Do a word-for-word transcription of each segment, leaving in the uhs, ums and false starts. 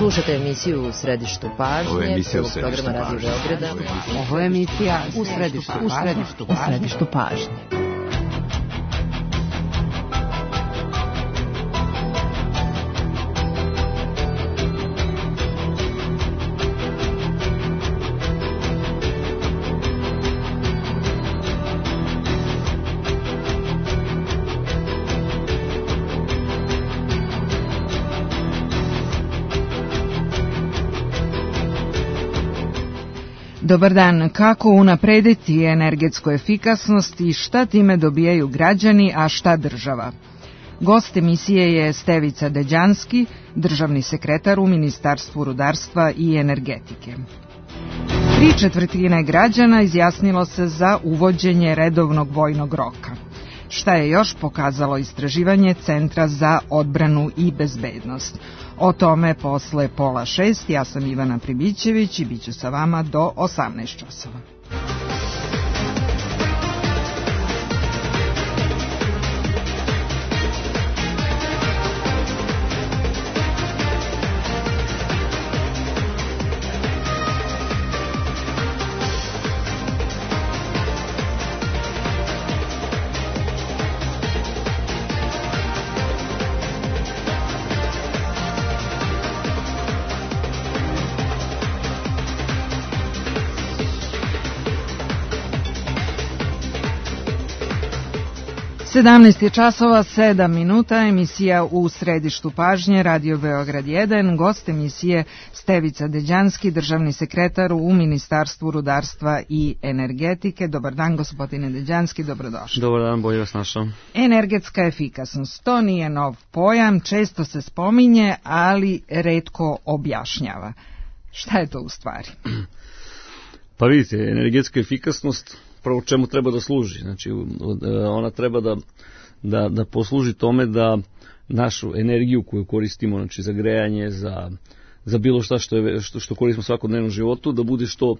Slušate emisiju U središtu pažnje. Ovo je emisija U središtu pažnje. Ovo je emisija U središtu pažnje. U središtu pažnje. Dobar dan. Kako unaprediti energetsku efikasnost i šta time dobijaju građani, a šta država? Gost emisije je Stevica Deđanski, državni sekretar u Ministarstvu rudarstva i energetike. Tri četvrtine građana izjasnilo se za uvođenje redovnog vojnog roka. Šta je još pokazalo istraživanje Centra za odbranu i bezbednost? O tome posle pola šest. Ja sam Ivana Pribićević i bit ću sa vama do osamnaest časova. sedamnaest je časova, sedam minuta, emisija U središtu pažnje, Radio Beograd jedan, gost emisije Stevica Deđanski, državni sekretar u Ministarstvu rudarstva i energetike. Dobar dan, gospodine Deđanski, dobrodošli. Dobar dan, bolje vas našao. Energetska efikasnost, to nije nov pojam, često se spominje, ali retko objašnjava. Šta je to u stvari? Pa vidite, energetska efikasnost prvo čemu treba da služi. Znači, ona treba da, da, da posluži tome da našu energiju koju koristimo, znači za grejanje, za, za bilo šta što, je, što, što koristimo u svakodnevnom životu, da bude što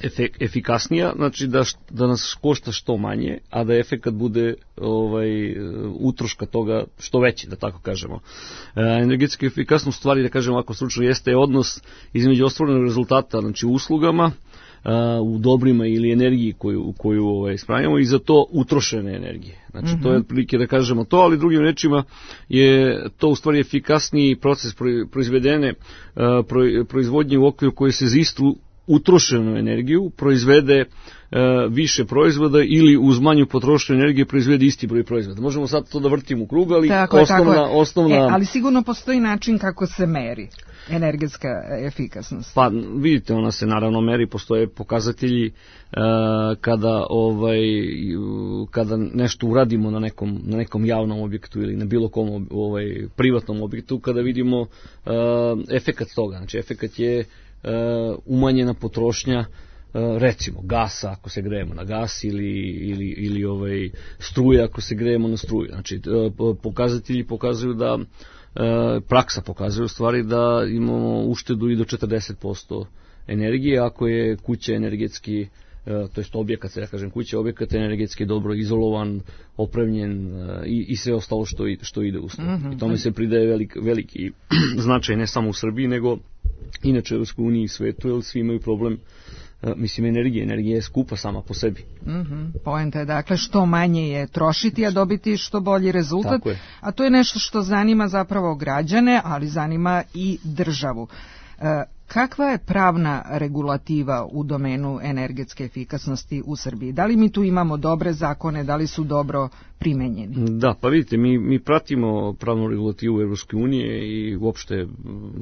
efek, efikasnija, znači da, da nas košta što manje, a da efekat bude ovaj, utroška toga što veći, da tako kažemo. E, energetska efikasnost stvari, da kažemo ovako stručno, jeste odnos između ostvarenog rezultata, znači uslugama, u dobrima ili energiji koju, koju ovaj, spravljamo i za to utrošene energije. Znači, mm-hmm. to je otprilike da kažemo to, ali drugim rečima je to u stvari efikasniji proces proizvedene proizvodnje u okviru koji se za istu utrošenu energiju proizvede više proizvoda ili uz manju potrošnju energije proizvede isti broj proizvoda. Možemo sad to da vrtimo u krug, ali tako osnovna... Je, osnovna... E, ali sigurno postoji način kako se meri energetska efikasnost. Pa vidite, ona se naravno meri, postoje pokazatelji uh, kada ovaj kada nešto uradimo na nekom na nekom javnom objektu ili na bilo kom ovaj privatnom objektu, kada vidimo uh, efekat toga. Znači efekat je uh, umanjena potrošnja recimo gasa ako se grejemo na gas ili, ili, ili ovaj, struje ako se grejemo na struju. Znači pokazatelji pokazuju da praksa pokazuje u stvari da imamo uštedu i do četrdeset posto energije ako je kuća energetski, to jest objekat, se ja kažem kuća, objekat energetski dobro izolovan, opremljen i, i sve ostalo što, što ide uz to. Mm-hmm. I tome se pridaje velik, veliki značaj ne samo u Srbiji nego inače u Europskoj uniji i svetu, jer svi imaju problem. Mislim, energija. Energija je skupa sama po sebi. Mm-hmm. Poenta je dakle što manje je trošiti, a dobiti što bolji rezultat. A to je nešto što zanima zapravo građane, ali zanima i državu. E, kakva je pravna regulativa u domenu energetske efikasnosti u Srbiji? Da li mi tu imamo dobre zakone, da li su dobro primenjeni? Da, pa vidite, mi, mi pratimo pravnu regulativu Evropske unije i uopšte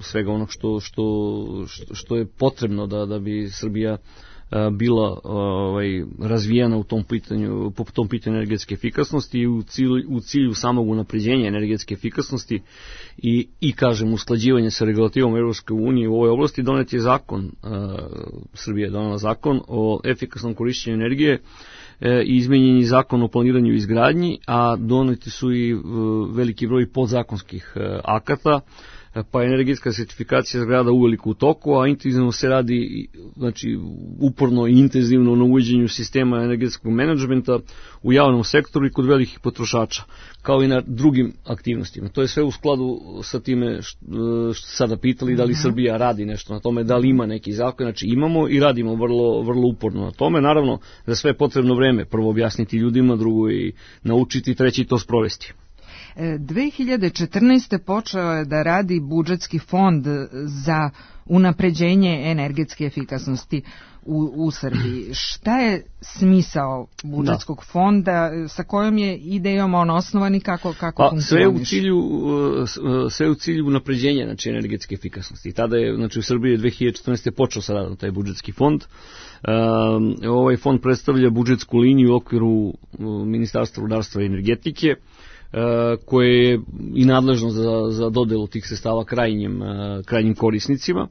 svega onog što, što, što je potrebno da, da bi Srbija bila ovaj, razvijena u tom pitanju, po tom pitanju energetske efikasnosti i u cilju, u cilju samog unapređenja energetske efikasnosti i, i kažem, usklađivanja sa regulativom Evropske unije u ovoj oblasti. Donet je zakon, uh, Srbija je donela zakon o efikasnom korišćenju energije e, i izmenjen je zakon o planiranju i izgradnji, a doneti su i uh, veliki broj podzakonskih uh, akata pa energetska sertifikacija zgrada uveliko u toku, a intenzivno se radi, znači uporno i intenzivno na uvođenju sistema energetskog menadžmenta u javnom sektoru i kod velikih potrošača, kao i na drugim aktivnostima. To je sve u skladu sa time što, što sada pitali, da li Srbija radi nešto na tome, da li ima neki zakon. Znači imamo i radimo vrlo, vrlo uporno na tome. Naravno, za sve je potrebno vreme. Prvo objasniti ljudima, drugo i naučiti, treći to sprovesti. dve hiljade četrnaeste. počeo je da radi budžetski fond za unapređenje energetske efikasnosti u, u Srbiji. Šta je smisao budžetskog da. fonda, sa kojom je idejom on osnovan i kako, kako pa, funkcioniš? Sve u cilju, sve u cilju unapređenja, znači, energetske efikasnosti. I tada je, znači, u Srbiji dve hiljade četrnaeste. počeo sa radom taj budžetski fond. Um, ovaj fond predstavlja budžetsku liniju u okviru Ministarstva rudarstva i energetike, koje je i nadležno za, za dodelu tih sredstava krajnjim, krajnjim korisnicima,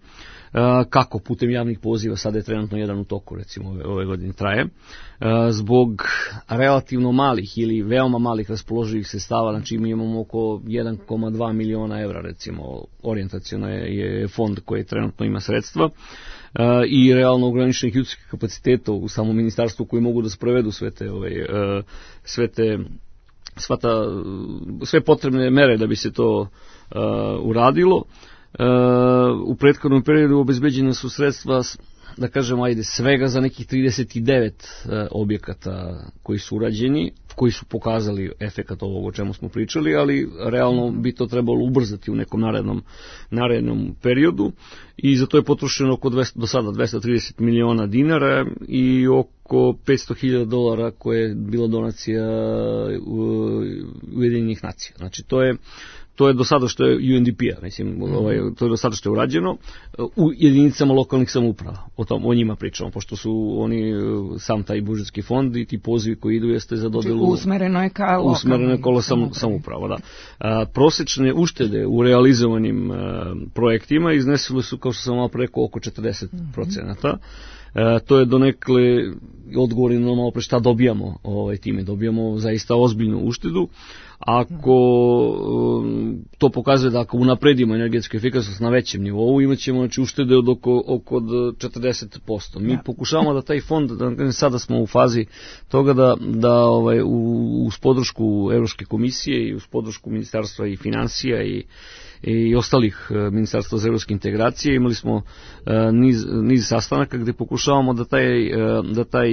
kako putem javnih poziva, sada je trenutno jedan u toku, recimo ove, ove godine traje, zbog relativno malih ili veoma malih raspoloživih sredstava, znači mi imamo oko jedan zarez dva miliona evra, recimo orijentacijono je, je fond koji trenutno ima sredstva, i realno ograničenih ljudskih kapaciteta u samom ministarstvu koji mogu da sprovedu sve te, ove, sve te Sva ta, sve potrebne mere da bi se to uh, uradilo. Uh, u prethodnom periodu obezbeđene su sredstva, da kažemo, ajde, svega za nekih trideset devet uh, objekata koji su urađeni, koji su pokazali efekat ovog o čemu smo pričali, ali realno bi to trebalo ubrzati u nekom narednom, narednom periodu i za to je potrošeno oko dvesta, do sada dvesta trideset miliona dinara i oko petsto hiljada dolara koje je bila donacija Ujedinjenih nacija. Znači to je To je do sada što je U N D P-a, mislim, ovaj, to je do sada što je urađeno u jedinicama lokalnih samouprava. O tom, o njima pričamo, pošto su oni sam taj budžetski fond i ti pozivi koji idu jeste za dodelu. Usmereno je ka lokalnim. Usmereno je kolo sam, samouprava, da. A, prosečne uštede u realizovanim a, projektima iznesile su, kao što sam malo preko, oko četrdeset procenata. E, to je donekle odgovor na malo pre šta dobijamo ovaj, time. Dobijamo zaista ozbiljnu uštedu. Ako um, to pokazuje da ako unapredimo energetsku efikasnost na većem nivou, imat ćemo, znači, uštede od oko, oko četrdeset posto. Mi ja. pokušavamo da taj fond, da, sada smo u fazi toga da, da ovaj, uz podršku Evropske komisije i uz podršku Ministarstva i financija i i ostalih ministarstva za evropske integracije, imali smo niz, niz sastanaka gde pokušavamo da taj, da taj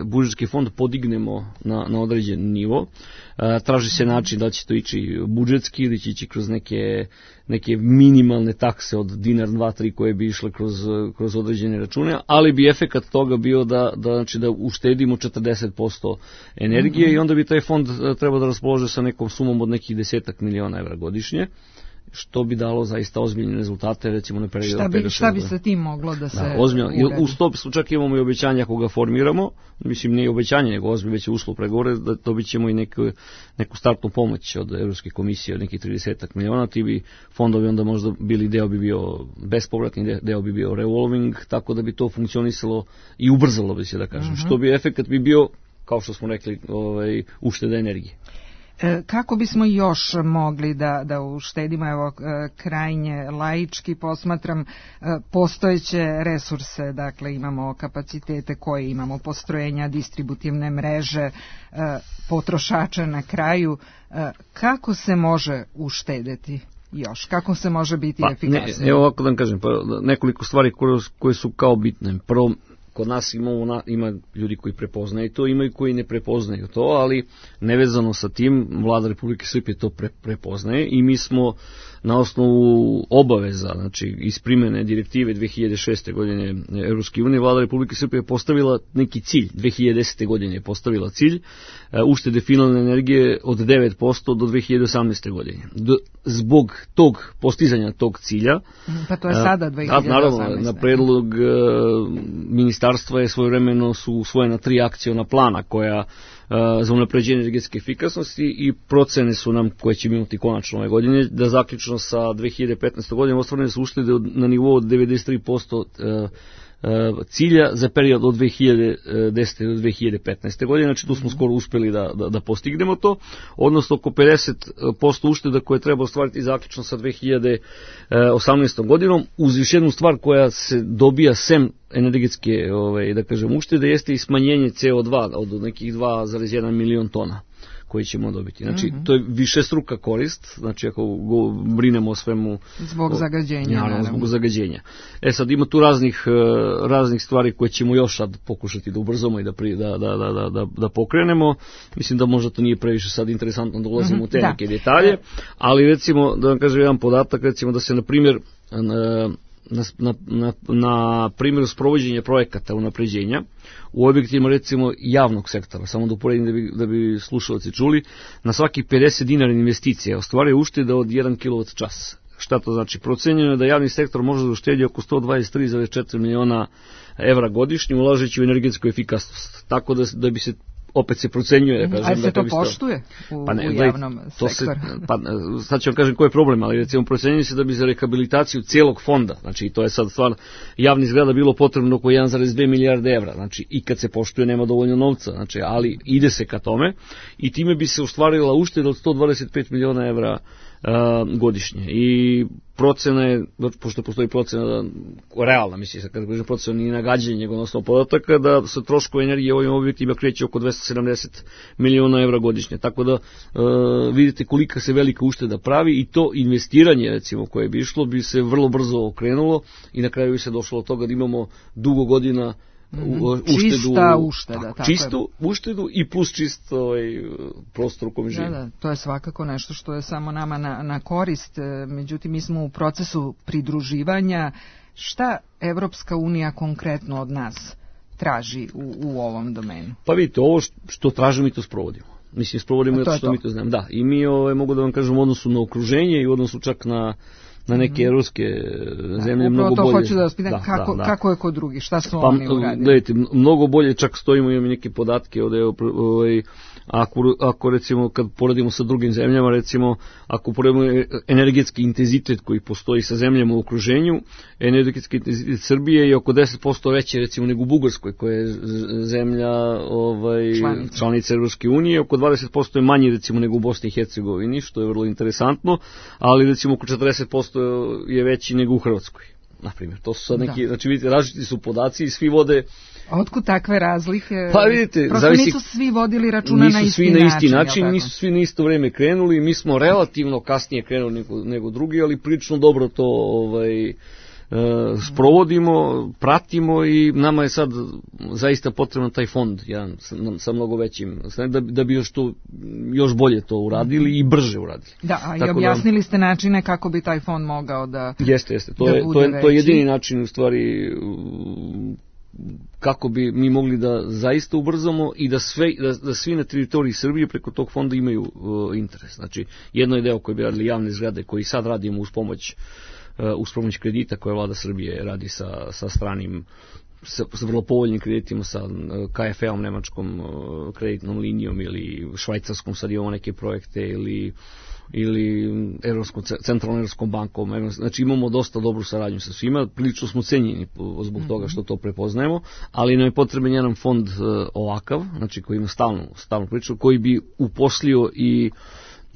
budžetski fond podignemo na, na određen nivo. Traži se način da će to ići budžetski ili će ići kroz neke, neke minimalne takse od dinar, dva, tri koje bi išle kroz, kroz određene račune, ali bi efekat toga bio da, da, znači da uštedimo četrdeset posto energije mm-hmm. i onda bi taj fond trebao da raspolože sa nekom sumom od nekih desetak miliona evra godišnje, što bi dalo zaista ozbiljne rezultate, recimo na periodu. Šta bi, šta bi sa tim moglo da se da, ozbiljno, u sto čak imamo i obećanja ako ga formiramo, mislim nije obećanje, nego ozbiljno već je uslov pregovore, da dobit ćemo i neku, neku startnu pomoć od Evropske komisije, od nekih trideset miliona, ti bi fondovi onda možda bili, deo bi bio bespovratni, deo bi bio revolving, tako da bi to funkcionisalo i ubrzalo bi se, da kažem, uh-huh. što bi efekat bi bio, kao što smo rekli, ovaj, ušteda energije. Kako bismo još mogli da, da uštedimo, evo, krajnje laički posmatram, postojeće resurse, dakle imamo kapacitete koje imamo, postrojenja, distributivne mreže, potrošača na kraju, kako se može uštedeti još, kako se može biti pa, efikasniji? Evo ovako da vam kažem, pa, nekoliko stvari koje, koje su kao bitne. Prvo, kod nas imamo, ima ljudi koji prepoznaju to, ima i koji ne prepoznaju to, ali nevezano sa tim, vlada Republike Srbije to pre, prepoznaje i mi smo na osnovu obaveza, znači iz primene direktive dve hiljade šeste. godine Evropske unije, vlada Republike Srbije postavila neki cilj, dve hiljade desete. godine je postavila cilj uštede finalne energije od devet posto do dve hiljade osamnaeste. godine. Do, zbog tog postizanja tog cilja, pa to je sada dve hiljade osamnaeste. Naravno, na predlog uh, ministarstva je svojevremeno su usvojena tri akciona plana koja za unapređenje energetske efikasnosti i procene su nam, koje će imati konačno ove godine, da zaključno sa dve hiljade petnaeste. godinom ostvarene su uštede na nivou od devedeset tri posto cilja za period od dve hiljade desete do dve hiljade petnaeste. godine, znači tu smo skoro uspeli da, da, da postignemo to, odnosno oko pedeset posto ušteda koje treba ostvariti zaključno sa dve hiljade osamnaestom. godinom, uz još jednu stvar koja se dobija sem energetske, ovaj, da kažem, uštede, jeste i smanjenje C O dva od nekih dva zarez jedan milion tona koji ćemo dobiti. Znači, mm-hmm. to je višestruka korist, znači ako go, brinemo o svemu... Zbog o, zagađenja. Naravno, zbog zagađenja. E sad, ima tu raznih, raznih stvari koje ćemo još sad pokušati da ubrzamo i da, pri, da, da, da, da, da pokrenemo. Mislim da možda to nije previše sad interesantno da ulazimo mm-hmm. u te neke detalje, ali recimo, da vam kažem jedan podatak, recimo da se, na primjer, na, na, na, na primjeru sprovođenja projekata unapređenja u objektima recimo javnog sektora, samo da uporedim da bi, da bi slušalci čuli, na svaki pedeset dinara investicije ostvaruje ušteda od jedan kilovat čas. Šta to znači? Procenjeno je da javni sektor može da uštedi oko sto dvadeset tri zarez četiri miliona evra godišnje ulažeći u energetsku efikasnost. Tako da, da bi se opet se procenjuje, da kažem. Ali se da to poštuje u, pa ne, u javnom to sektoru? Se, pa, sad ću vam kažem koji je problem, ali recimo procenjuje se da bi za rehabilitaciju cijelog fonda, znači to je sad stvar javnih zgrada bilo potrebno oko jedan zarez dve milijarde evra, znači i kad se poštuje nema dovoljno novca, znači, ali ide se ka tome i time bi se ostvarila ušteda od sto dvadeset pet miliona evra Uh, godišnje. I procena je, pošto postoji procena realna, mislim, kada kažem procena nije nagađanje, nego na osnovu podataka, da se troškovi energije u ovim objektima kreće oko dvesta sedamdeset miliona evra godišnje. Tako da uh, vidite kolika se velika ušteda pravi i to investiranje, recimo, koje bi išlo, bi se vrlo brzo okrenulo i na kraju bi se došlo do toga da imamo dugo godina U, uštedu, čista ušteda. Tako, tako čistu je. Uštedu i plus čist ovaj, prostor u kojem živimo. Da, da, to je svakako nešto što je samo nama na, na korist. Međutim, mi smo u procesu pridruživanja. Šta Evropska unija konkretno od nas traži u, u ovom domenu? Pa vidite, ovo što tražimo mi to sprovodimo. Mislim, sprovodimo zato što to. mi to znamo. Da, i mi ovaj, mogu da vam kažem u odnosu na okruženje i u odnosu čak na na neke evropske zemlje da, mnogo to bolje. Hoću da vas pitam, da, kako, da, da. kako je kod drugih, šta su pa, oni uradili? Gledajte, mnogo bolje, čak stojimo, imamo neke podatke od ovaj, ako, ako recimo kad poredimo sa drugim zemljama, recimo ako poredimo energetski intenzitet koji postoji sa zemljama u okruženju, energetski intenzitet Srbije je oko deset posto veći recimo nego u Bugarskoj, koja je zemlja ovaj, članica. članica Evropske unije, oko dvadeset posto je manji recimo nego u Bosni i Hercegovini, što je vrlo interesantno, ali recimo oko četrdeset posto je veći nego u Hrvatskoj. Na primjer, to su sad neki, da. znači vidite, različiti su podaci i svi vode. A otkud takve razlike? Pa vidite, prosto zavisi, nisu svi vodili računa na isti svi na isti način. način nisu svi na isto vreme krenuli, mi smo relativno kasnije krenuli nego, nego drugi, ali prilično dobro to ovaj, e, sprovodimo, pratimo i nama je sad zaista potreban taj fond, jedan, sa, sa mnogo većim, da, da bi još, to, još bolje to uradili i brže uradili. Da, a i objasnili da, ste načine kako bi taj fond mogao da Jeste, jeste, to, da je, to, je, to je jedini način u stvari kako bi mi mogli da zaista ubrzamo i da, sve, da, da svi na teritoriji Srbije preko tog fonda imaju uh, interes. Znači, jedno je deo koji bi radili javne zgrade, koji sad radimo uz pomoć, uh, uz pomoć kredita koje vlada Srbije radi sa, sa stranim, sa, sa vrlo povoljnim kreditima, sa uh, K F E-om, nemačkom uh, kreditnom linijom ili švajcarskom, sad imamo neke projekte, ili ili Evropskom, centralnom Evropskom bankom, znači imamo dosta dobru saradnju sa svima, prilično smo cenjeni zbog toga što to prepoznajemo, ali nam je potreban jedan fond ovakav, znači koji ima stalnu, stalnu priču, koji bi uposlio i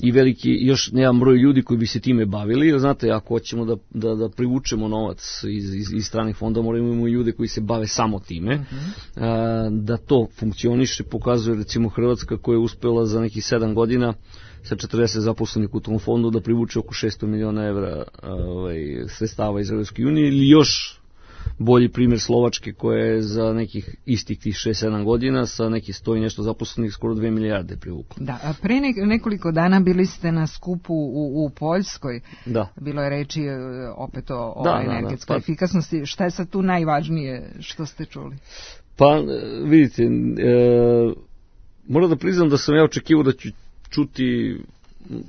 i veliki, još jedan broj ljudi koji bi se time bavili, jer znate, ako hoćemo da, da, da privučemo novac iz, iz, iz stranih fonda, moramo imamo ljude koji se bave samo time, uh-huh. a, da to funkcioniše, pokazuje recimo Hrvatska koja je uspela za nekih sedam godina sa četrdeset zaposlenih u tom fondu da privuče oko šesto miliona evra ovaj, sredstava iz Evropske unije, ili još bolji primjer Slovačke koja je za nekih istih tih šest sedam godina sa nekih sto i nešto zaposlenih skoro dve milijarde privukla. Da, a pre nekoliko dana bili ste na skupu u, u Poljskoj. Da. Bilo je reči opet o, o da, energetskoj da, da. Pa, efikasnosti. Šta je sad tu najvažnije što ste čuli? Pa vidite, e, moram da priznam da sam ja očekivao da ću čuti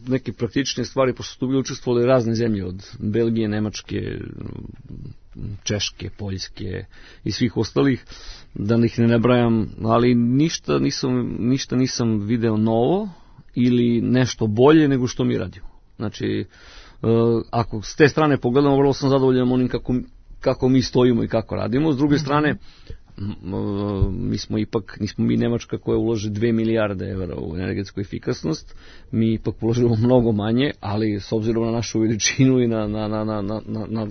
neke praktične stvari, pošto su tu bili učestvovali razne zemlje od Belgije, Nemačke, Češke, Poljske i svih ostalih, da ih ne nabrajam, ali ništa nisam, ništa nisam video novo ili nešto bolje nego što mi radimo. Znači, ako s te strane pogledamo, vrlo sam zadovoljan onim kako, kako mi stojimo i kako radimo. S druge strane, mi smo ipak, nismo mi Nemačka koja uloži dve milijarde evra u energetsku efikasnost, mi ipak uložimo mnogo manje, ali s obzirom na našu veličinu i na, na, na, na, na, na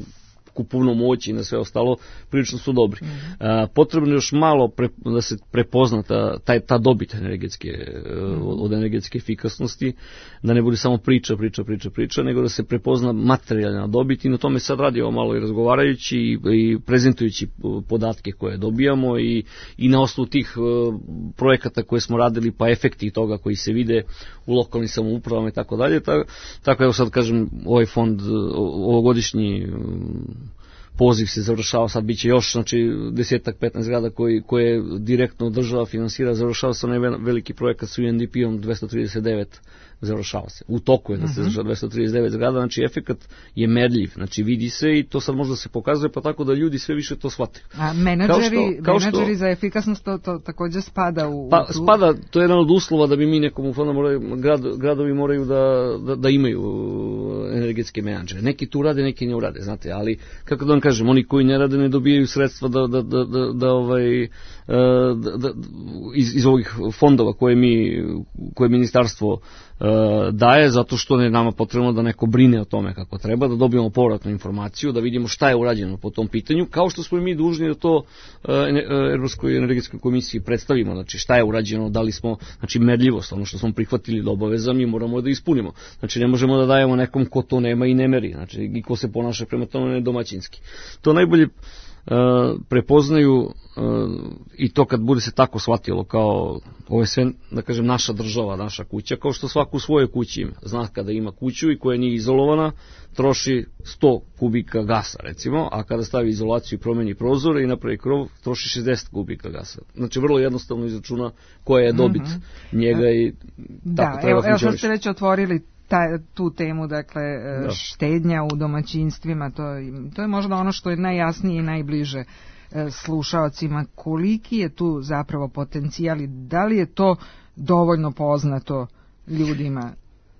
kupovnu moć i na sve ostalo, prilično su dobri. Mm-hmm. A, potrebno je još malo pre, da se prepozna ta, ta, ta dobit energetske, mm-hmm. od, od energetske efikasnosti, da ne bude samo priča, priča, priča, priča, nego da se prepozna materijalna dobit i na tome sad radimo malo i razgovarajući i, i prezentujući podatke koje dobijamo i, i na osnovu tih uh, projekata koje smo radili, pa efekti toga koji se vide u lokalnim samoupravama i tako dalje. Tako evo sad kažem, ovaj fond, ovogodišnji poziv se završava, sad biće još, znači desetak, petnaest zgrada koji, koje direktno država finansira, završava se onaj veliki projekat s U N D P-om dvesta trideset devet, završava se. U toku je da se završava dvesta trideset devet zgrada, znači efekat je merljiv, znači vidi se i to sad možda se pokazuje, pa tako da ljudi sve više to shvataju. A menadžeri, kao što, menadžeri za efikasnost to, to također spada u... Pa tu... spada, to je jedan od uslova da bi mi nekom u fondu moraju, grad, gradovi moraju da, da, da imaju energetske menadžere. Neki tu rade, neki ne urade, znate, ali kako da vam kažem, oni koji ne rade ne dobijaju sredstva da, da, da, da, da ovaj, da, da, iz, iz ovih fondova koje mi, koje ministarstvo daje, zato što je nama potrebno da neko brine o tome kako treba, da dobijemo povratnu informaciju, da vidimo šta je urađeno po tom pitanju, kao što smo i mi dužni da to Evropskoj energetskoj komisiji predstavimo, znači šta je urađeno, da li smo, znači merljivost, ono što smo prihvatili da obaveza, mi moramo da ispunimo. Znači ne možemo da dajemo nekom ko to nema i ne meri, znači i ko se ponaša prema tome nedomaćinski. To najbolje Uh, prepoznaju uh, i to kad bude se tako shvatilo kao ovo je sve, da kažem, naša država, naša kuća, kao što svako u svojoj kući ima. Zna kada ima kuću i koja nije izolovana, troši sto kubika gasa, recimo, a kada stavi izolaciju i promeni prozore i napravi krov, troši šezdeset kubika gasa. Znači, vrlo jednostavno izračuna koja je dobit mm-hmm. njega i tako da, treba evo, evo funkcioniš. što ste već otvorili ta, tu temu, dakle, da. štednja u domaćinstvima, to, to je možda ono što je najjasnije i najbliže slušaocima. Koliki je tu zapravo potencijal i da li je to dovoljno poznato ljudima?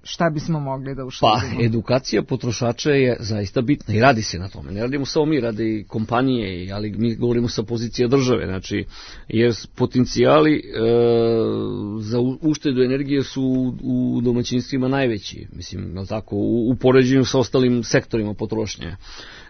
Šta bismo mogli da uštedimo? Pa, edukacija potrošača je zaista bitna i radi se na tome. Ne radimo samo mi, rade i kompanije, ali mi govorimo sa pozicije države, znači, jer potencijali e, za uštedu energije su u, u domaćinstvima najveći, mislim, tako, u, u poređenju sa ostalim sektorima potrošnje.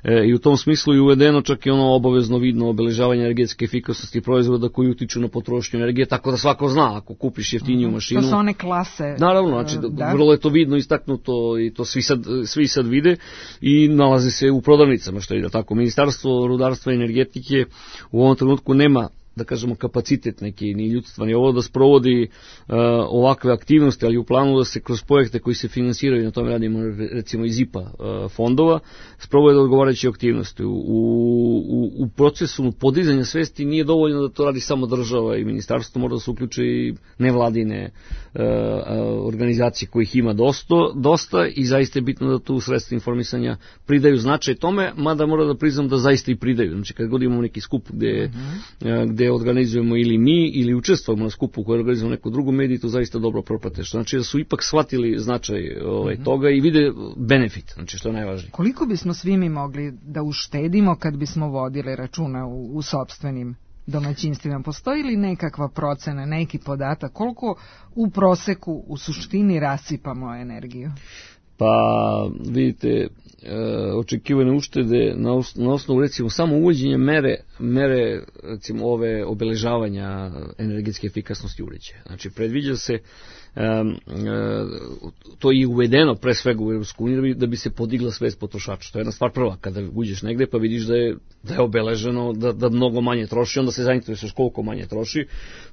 E, I u tom smislu je uvedeno čak i ono obavezno vidno obeležavanje energetske efikasnosti proizvoda koji utiču na potrošnju energije, tako da svako zna ako kupiš jeftiniju mašinu. To su one klase. Naravno, znači, da. vrlo je to vidno, istaknuto i to svi sad, svi sad vide i nalaze se u prodavnicama, što je da tako. Ministarstvo rudarstva i energetike u ovom trenutku nema, da kažemo, kapacitet neki, ni ljudstva, ni ovo da sprovodi uh, ovakve aktivnosti, ali u planu da se kroz projekte koji se finansiraju, na tome radimo recimo iz I P A uh, fondova, sprovode odgovarajuće aktivnosti. U, u, u procesu podizanja svesti nije dovoljno da to radi samo država i ministarstvo, mora da se uključe i nevladine uh, organizacije kojih ima dosta, dosta i zaista je bitno da tu sredstva informisanja pridaju značaj tome, mada mora da priznam da zaista i pridaju. Znači kad god imamo neki skup gde, uh-huh. uh, gde organizujemo ili mi ili učestvujemo na skupu koji organizujemo neku drugu mediju, to zaista dobro propate. Što znači da su ipak shvatili značaj ovaj, mm-hmm. toga i vide benefit, znači što je najvažnije. Koliko bismo svi mi mogli da uštedimo kad bismo vodili računa u, u sopstvenim domaćinstvima? Postoji li nekakva procena, neki podatak, koliko u proseku u suštini rasipamo energiju? Pa vidite, e, očekivane uštede na, os, na osnovu recimo samo uvođenja mere, mere recimo ove obeležavanja energetske efikasnosti uređaja. Znači predviđa se, e, e, to je uvedeno pre svega u Evropsku uniju da bi se podigla svest potrošača. To je jedna stvar prva, kada uđeš negde pa vidiš da je, da je obeleženo, da, da mnogo manje troši, onda se zainteresuješ koliko manje troši,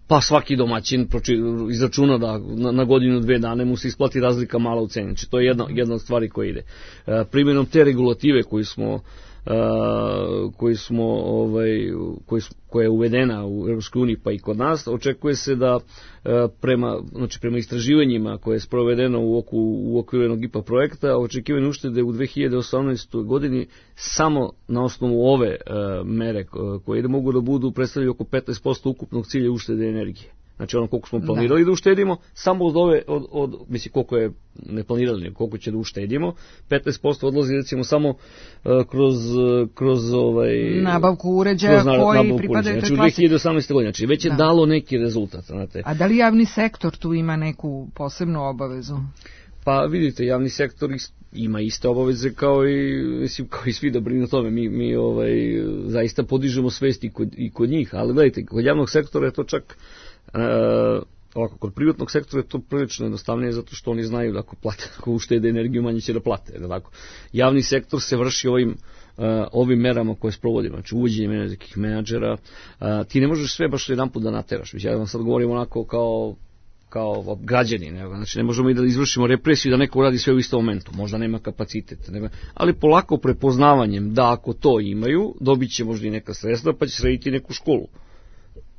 pa svaki domaćin proči, izračuna da na, na godinu dve dane mu se isplati razlika mala u ceni. Znači to je jedna, jedna od stvari koja ide. E, primjenom te regulative koju smo Uh, koji smo ovaj koji koja je uvedena u Evropskoj uniji pa i kod nas, očekuje se da uh, prema znači prema istraživanjima koje je sprovedeno u oku, u okviru jednog I P A projekta, očekivane uštede u dve hiljade osamnaestoj godini samo na osnovu ove uh, mere koje ide mogu da budu predstavljaju oko petnaest posto ukupnog cilja uštede energije. znači ono koliko smo planirali da, da uštedimo, samo od ove, od, od, mislim koliko je ne planirali, koliko će da uštedimo, petnaest posto odlazi recimo samo uh, kroz, kroz ovaj... nabavku uređaja kroz koji pripadaju znači, toj klasi. Znači u dve hiljade osamnaeste. godine, znači već je da. dalo neki rezultat. Znate. A da li javni sektor tu ima neku posebnu obavezu? Pa vidite, javni sektor ima iste obaveze kao i, mislim, kao i svi da brinu o tome. Mi, mi ovaj, zaista podižemo svest i kod, i kod njih, ali gledajte, kod javnog sektora je to čak, uh, ovako, kod privatnog sektora je to prilično jednostavnije zato što oni znaju da ako plate, ako uštede energiju, manje će da plate. Da tako. Javni sektor se vrši ovim, uh, ovim merama koje sprovodimo, znači uvođenjem energetskih menadžera. Uh, ti ne možeš sve baš jedan put da nateraš. Ja vam sad govorim onako kao kao građani, ne? Znači ne možemo i da izvršimo represiju da neko uradi sve u istom momentu, možda nema kapacitet, nema, ali polako prepoznavanjem da ako to imaju, dobit će možda i neka sredstva pa će srediti neku školu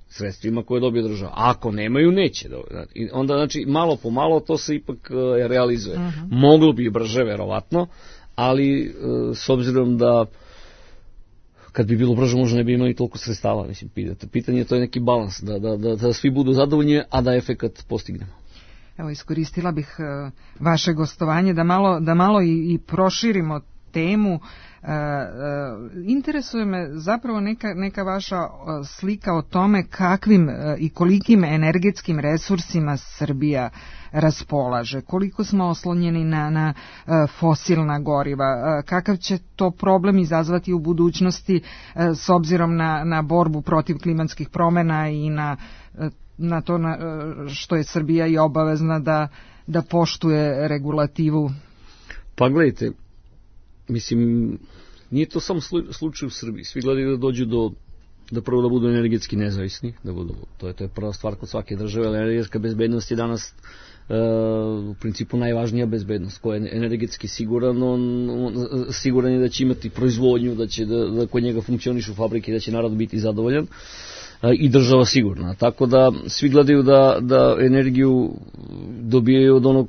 sredstvima koje dobije država, a ako nemaju neće. I onda znači malo po malo to se ipak uh, realizuje. Uh-huh. Moglo bi i brže verovatno, ali uh, s obzirom da kad bi bilo brže možda ne bi imali toliko sredstava, mislim, pitanje je to je neki balans, da, da, da, da svi budu zadovoljni, a da efekat postignemo. Evo, iskoristila bih uh, vaše gostovanje da malo, da malo i, i proširimo temu. Uh, uh, interesuje me zapravo neka, neka vaša uh, slika o tome kakvim uh, i kolikim energetskim resursima Srbija raspolaže, koliko smo oslonjeni na, na uh, fosilna goriva, uh, kakav će to problem izazvati u budućnosti uh, s obzirom na, na borbu protiv klimatskih promjena i na, uh, na to na, uh, što je Srbija i obavezna da, da poštuje regulativu. Pa gledajte, mislim, nije to samo slučaj u Srbiji. Svi gledaju da dođu do, da prvo da budu energetski nezavisni, da budu, to je, to je prva stvar kod svake države, ali energetska bezbednost je danas e, u principu najvažnija bezbednost. Ko je energetski siguran, on, on siguran je da će imati proizvodnju, da će da, da kod njega funkcionišu fabrike, da će narod biti zadovoljan e, i država sigurna. Tako da svi gledaju da, da energiju dobijaju od onog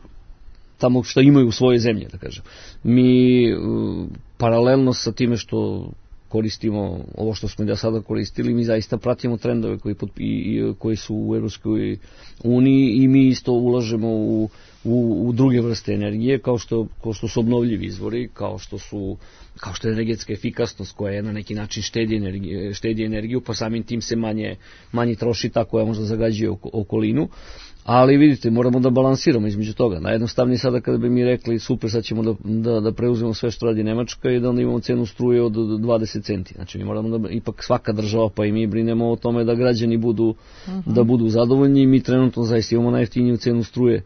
tamo što imaju u svojoj zemlji, da kažem. Mi uh, paralelno sa time što koristimo ovo što smo da sada koristili, mi zaista pratimo trendove koji, pod, i, i, koji su u Evropskoj uniji i mi isto ulažemo u, u, u druge vrste energije, kao što, kao što su obnovljivi izvori, kao što su kao što je energetska efikasnost koja je na neki način štedi energiju, štedi energiju pa samim tim se manje, manje troši ta koja možda zagađuje okolinu. Ali vidite, moramo da balansiramo između toga. Najjednostavnije sada kada bi mi rekli super, sad ćemo da, da, da preuzmemo sve što radi Nemačka i da onda imamo cenu struje od dvadeset centi. Znači mi moramo da, ipak svaka država pa i mi brinemo o tome da građani budu, uh-huh. da budu zadovoljni i mi trenutno zaista imamo najjeftiniju cenu struje.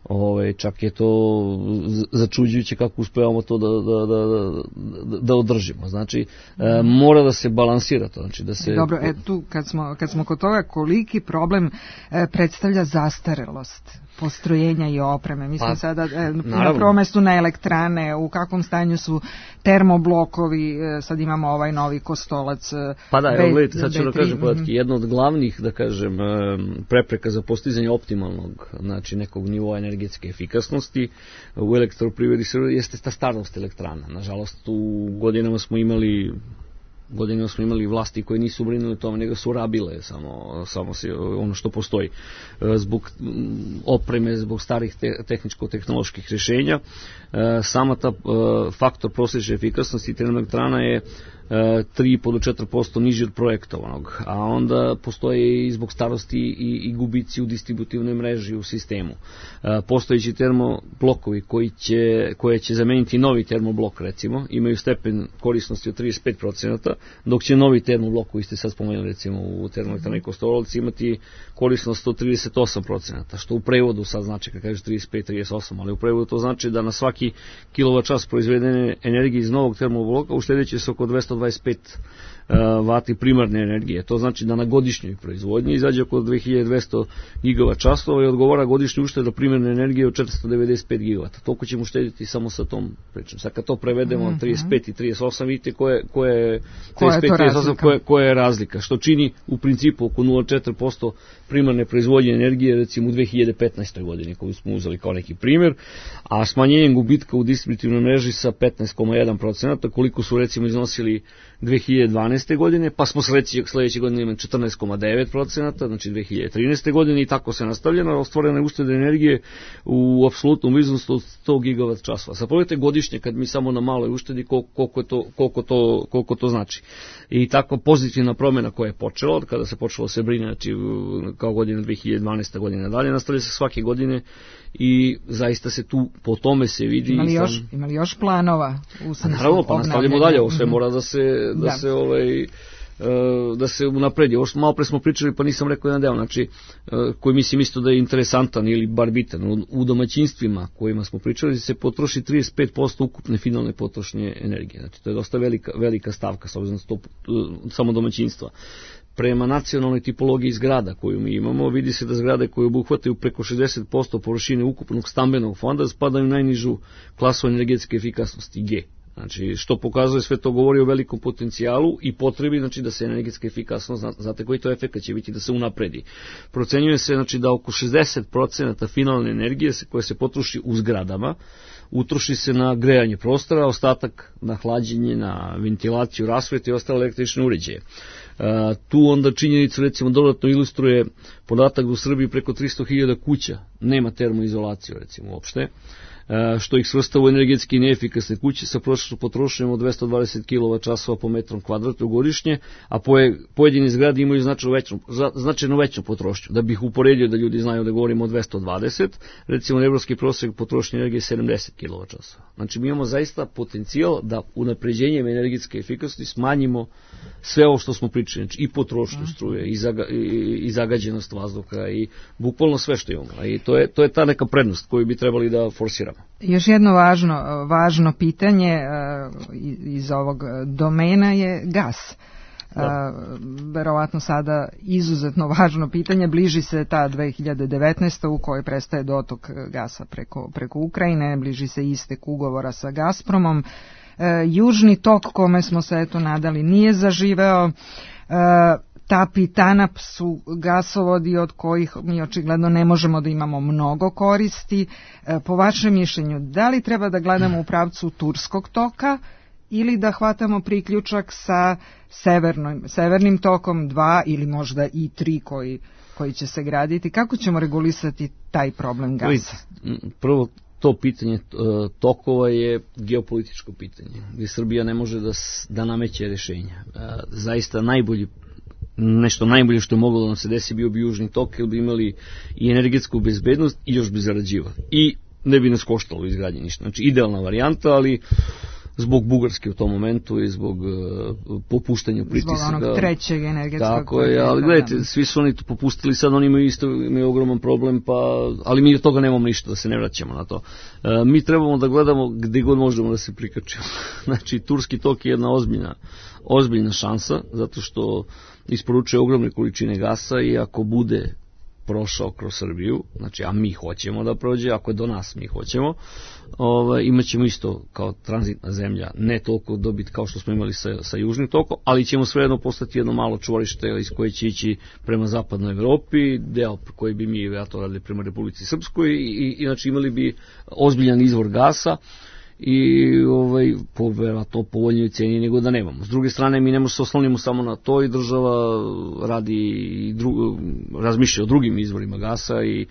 Ove, čak je to začuđujuće kako uspevamo to da, da, da, da održimo. Znači, e, mora da se balansira to. Znači, da se... Dobro, e, tu kad smo, kad smo kod toga, koliki problem e, predstavlja zastarelost postrojenja i opreme? Mi smo pa, sada e, na prvom mestu na elektrane, u kakvom stanju su termoblokovi, e, sad imamo ovaj novi Kostolac. E, pa da, evo gledajte, sad ću da kažem podatke. Jedna od glavnih, da kažem, prepreka za postizanje optimalnog, znači nekog nivoa energetske efikasnosti u elektroprivredi jeste ta starost elektrana. Nažalost, u godinama smo imali godinama smo imali vlasti koje nisu brinuli o tome, nego su rabile samo, samo se, ono što postoji. Zbog opreme, zbog starih te, tehničko-tehnoloških rješenja, sama ta faktor prosječne efikasnosti termoelektrana je tri i po do četiri posto niži od projektovanog, a onda postoje i zbog starosti i, i gubici u distributivnoj mreži u sistemu. Postojeći termoblokovi koji će, koje će zameniti novi termoblok, recimo, imaju stepen korisnosti od trideset pet procenata, dok će novi termoblok koji ste sad spomenuli, recimo u termoelektrani Kostolac, imati korisnost od trideset osam procenata, što u prevodu sad znači, kad kažeš trideset pet trideset osam, ali u prevodu to znači da na svaki kilovat čas proizvedene energije iz novog termobloka uštedeće se oko dvesta dvadeset pet vati primarne energije. To znači da na godišnjoj proizvodnji izađe oko dve hiljade dvesta gigavat časova i odgovara godišnju uštedu primarne energije od četiristo devedeset pet gigavata. Toliko ćemo uštediti samo sa tom pričom. Sad kad to prevedemo mm-hmm. trideset pet i trideset osam, vidite koje, koje, trideset pet, trideset osam, koje, koje je razlika. Što čini u principu oko nula zarez četiri posto primarne proizvodnje energije, recimo u dve hiljade petnaestoj godini, koju smo uzeli kao neki primjer, a smanjenjem gubitka u distributivnoj mreži sa petnaest zarez jedan procenat, koliko su recimo iznosili dve hiljade dvanaeste. godine, pa smo sledeće, sledeće godine imali četrnaest zarez devet procenata, znači dve hiljade trinaeste. godine i tako se nastavljeno, ostvorene uštede energije u apsolutnom iznosu od sto gigavat časova. Sad pogledajte godišnje kad mi samo na maloj uštedi koliko, je to, koliko, to, koliko to znači. I tako pozitivna promjena koja je počela, od kada se počelo se brine, znači kao godina dve hiljade dvanaeste. godine dalje, nastavlja se svake godine i zaista se tu po tome se vidi. Imali još, sam... imali još planova u smislu? Naravno, pa nastavljamo dalje, ovo sve mora da se, da, da. se ovaj, da se unapredi. Ovo što malo pre smo pričali, pa nisam rekao jedan deo, znači, koji mislim isto da je interesantan ili bar bitan. U domaćinstvima kojima smo pričali se potroši trideset pet posto ukupne finalne potrošnje energije. Znači, to je dosta velika, velika stavka, s obzirom na samo domaćinstva. Prema nacionalnoj tipologiji zgrada koju mi imamo, vidi se da zgrade koje obuhvataju preko šezdeset posto površine ukupnog stambenog fonda spadaju u najnižu klasu energetske efikasnosti G. Znači, što pokazuje, sve to govori o velikom potencijalu i potrebi, znači, da se energetska efikasnost, znate koji to efekt će biti, da se unapredi. Procenjuje se, znači, da oko šezdeset procenata finalne energije koje se potroši u zgradama, utroši se na grejanje prostora, ostatak na hlađenje, na ventilaciju, rasvetu i ostale električne uređaje. Uh, tu onda činjenicu, recimo, dodatno ilustruje podatak da u Srbiji preko tristo hiljada kuća nema termoizolaciju, recimo, uopšte, uh, što ih svrsta u energetski neefikasne kuće sa prosječnom potrošnjom od dvesta dvadeset kilovat časova po metrom kvadratnom godišnje, a poje, pojedini zgrade imaju značajno veću, značajno veću potrošnju. Da bih uporedio da ljudi znaju da govorimo o dvesta dvadeset, recimo evropski prosjek potrošnje energije je sedamdeset kilovat časova. Znači, mi imamo zaista potencijal da unapređenjem energetske efikasnosti smanjimo sve ovo što smo pričali, znači i potrošnju struje, i, zaga, i, i zagađenost vazduha, i bukvalno sve što imamo. I to je, to je ta neka prednost koju bi trebali da forsiramo. Još jedno važno, važno pitanje iz ovog domena je gas. Da. Verovatno sada izuzetno važno pitanje, bliži se ta dve hiljade devetnaesta. u kojoj prestaje dotok gasa preko, preko Ukrajine, bliži se istek ugovora sa Gazpromom. Južni tok, kome smo se eto nadali, nije zaživeo. TAP i TANAP su gasovodi od kojih mi očigledno ne možemo da imamo mnogo koristi. Po vašem mišljenju, da li treba da gledamo u pravcu turskog toka ili da hvatamo priključak sa severnim, severnim tokom dva ili možda i tri koji, koji će se graditi? Kako ćemo regulisati taj problem gasa? Prvo, to pitanje tokova je geopolitičko pitanje, gdje Srbija ne može da, da nameće rješenja. Zaista najbolji, nešto najbolje što je moglo da nam se desi bio bi južni tok, jer bi imali i energetsku bezbednost i još bi zarađivali. I ne bi nas koštalo u izgradnji ništa. Znači, idealna varijanta, ali zbog Bugarske u tom momentu i zbog uh, popuštanja pritisaka. Zbog onog trećeg energetskog. Tako je, ali gledajte, svi su oni to popustili, sad oni imaju isto imaju ogroman problem, pa, ali mi od toga nemamo ništa, da se ne vraćamo na to. Uh, mi trebamo da gledamo gdje god možemo da se prikačimo. Znači, turski tok je jedna ozbiljna, ozbiljna šansa, zato što isporučuje ogromne količine gasa i ako bude prošao kroz Srbiju, znači, a mi hoćemo da prođe, ako je do nas mi hoćemo, ovaj, imat ćemo isto kao tranzitna zemlja, ne toliko dobiti kao što smo imali sa, sa južnim tokom, ali ćemo svejedno postati jedno malo čvorište iz koje će ići prema zapadnoj Evropi, deo koji bi mi ja to radili prema Republici Srpskoj i, i znači imali bi ozbiljan izvor gasa i ovaj, po verovatno povoljnijoj cijeni nego da nemamo. S druge strane, mi ne možemo se oslonimo samo na to i država radi i dru, razmišlja o drugim izvorima gasa i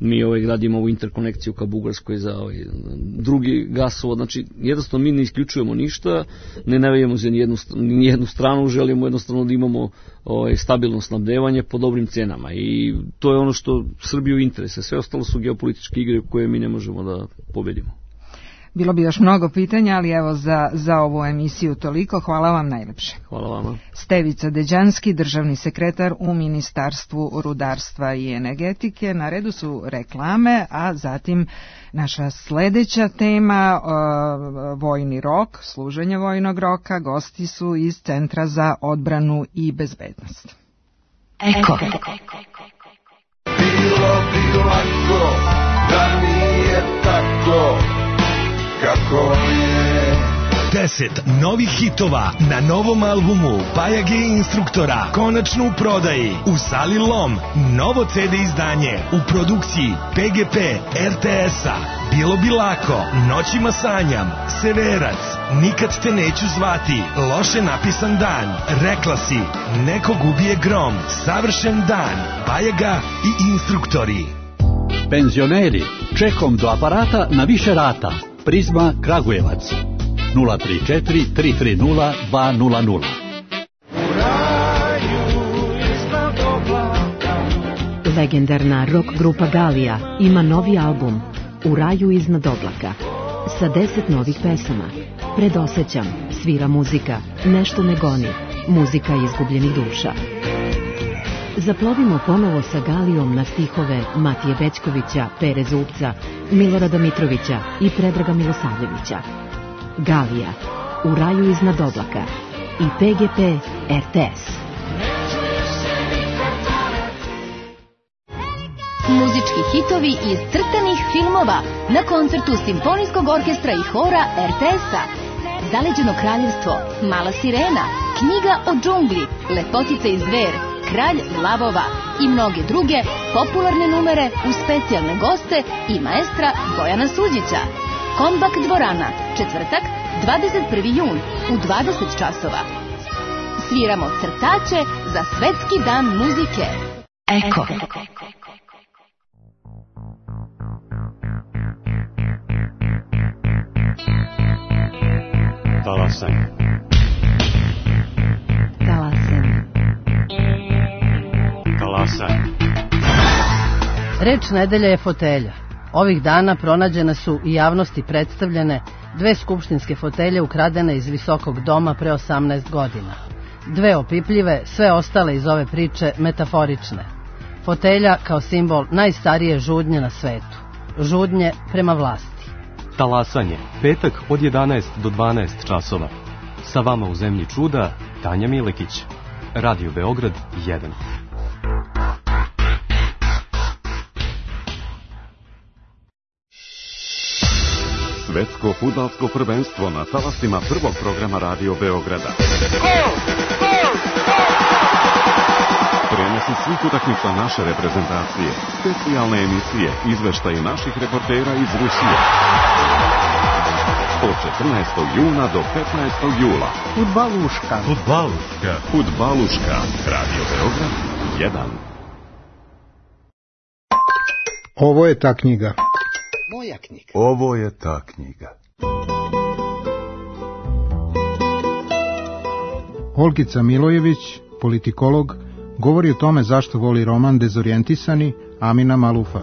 mi ovaj, gradimo ovu interkonekciju ka Bugarskoj za ovaj, drugi gasovod. Znači, jednostavno mi ne isključujemo ništa, ne navijamo za nijednu, nijednu stranu, želimo jednostavno da imamo ovaj, stabilno snabdevanje po dobrim cenama i to je ono što Srbiju interese. Sve ostalo su geopolitičke igre koje mi ne možemo da pobedimo. Bilo bi još mnogo pitanja, ali evo za, za ovu emisiju toliko. Hvala vam najlepše. Hvala vama. Stevica Deđanski, državni sekretar u Ministarstvu rudarstva i energetike. Na redu su reklame, a zatim naša sledeća tema, uh, vojni rok, služenje vojnog roka. Gosti su iz Centra za odbranu i bezbednost. Eko. Bilo bi lako da nije tako kako je, deset novih hitova na novom albumu Bajage instruktora, konačno u prodaji u sali Lom. Novo ce de izdanje u produkciji P G P R T S-a. Bilo bi lako, Noćima sanjam, Severac, Nikad te neću zvati, Loše napisan dan, Rekla si, Nekog ubije grom, Savršen dan, Bajaga i instruktori. Penzioneri, čekom do aparata na više rata. Prizma Kragujevac nula tri četiri tri tri nula dva nula nula. Legendarna rock grupa Galija ima novi album U raju iznad oblaka sa deset novih pesama. Predosećam, svira muzika, nešto me goni, muzika izgubljenih duša. Zaplovimo ponovo sa Galijom na stihove Matije Bećkovića, Pere Zubca, Milorada Mitrovića i Predraga Milosavljevića. Galija, U raju iznad oblaka i P G P R T S. Muzički hitovi iz crtanih filmova na koncertu Simfonijskog orkestra i hora R T S-a. Zaleđeno kraljevstvo, Mala sirena, Knjiga o džungli, Lepotica i zver, Kralj lavova i mnoge druge popularne numere uz specijalne goste i maestra Bojana Suđića. Kombak dvorana, četvrtak, dvadeset prvi jun u dvadeset časova. Sviramo crtače za Svetski dan muzike. Eko. Talasanj. Talasanj. Talasanj. Reč nedelje je fotelja. Ovih dana pronađene su i javnosti predstavljene dve skupštinske fotelje ukradene iz visokog doma pre osamnaest godina. Dve opipljive, sve ostale iz ove priče metaforične. Fotelja kao simbol najstarije žudnje na svetu. Žudnje prema vlasti. Talasanje, petak od jedanaest do dvanaest časova. Sa vama u zemlji čuda, Tanja Milekić. Radio Beograd jedan. Svetsko fudbalsko prvenstvo na talasima prvog programa Radio Beograda. Prenosi svih utakmica naše reprezentacije, specijalne emisije, izveštaje naših reportera iz Rusije. Od četrnaestog juna do petnaestog jula. Fudbaluška. Fudbaluška. Fudbaluška. Radio Beograd jedan. Ovo je ta knjiga. Moja knjiga. Ovo je ta knjiga. Olgica Milojević, politikolog, govori o tome zašto voli roman Dezorijentisani Amina Malufa.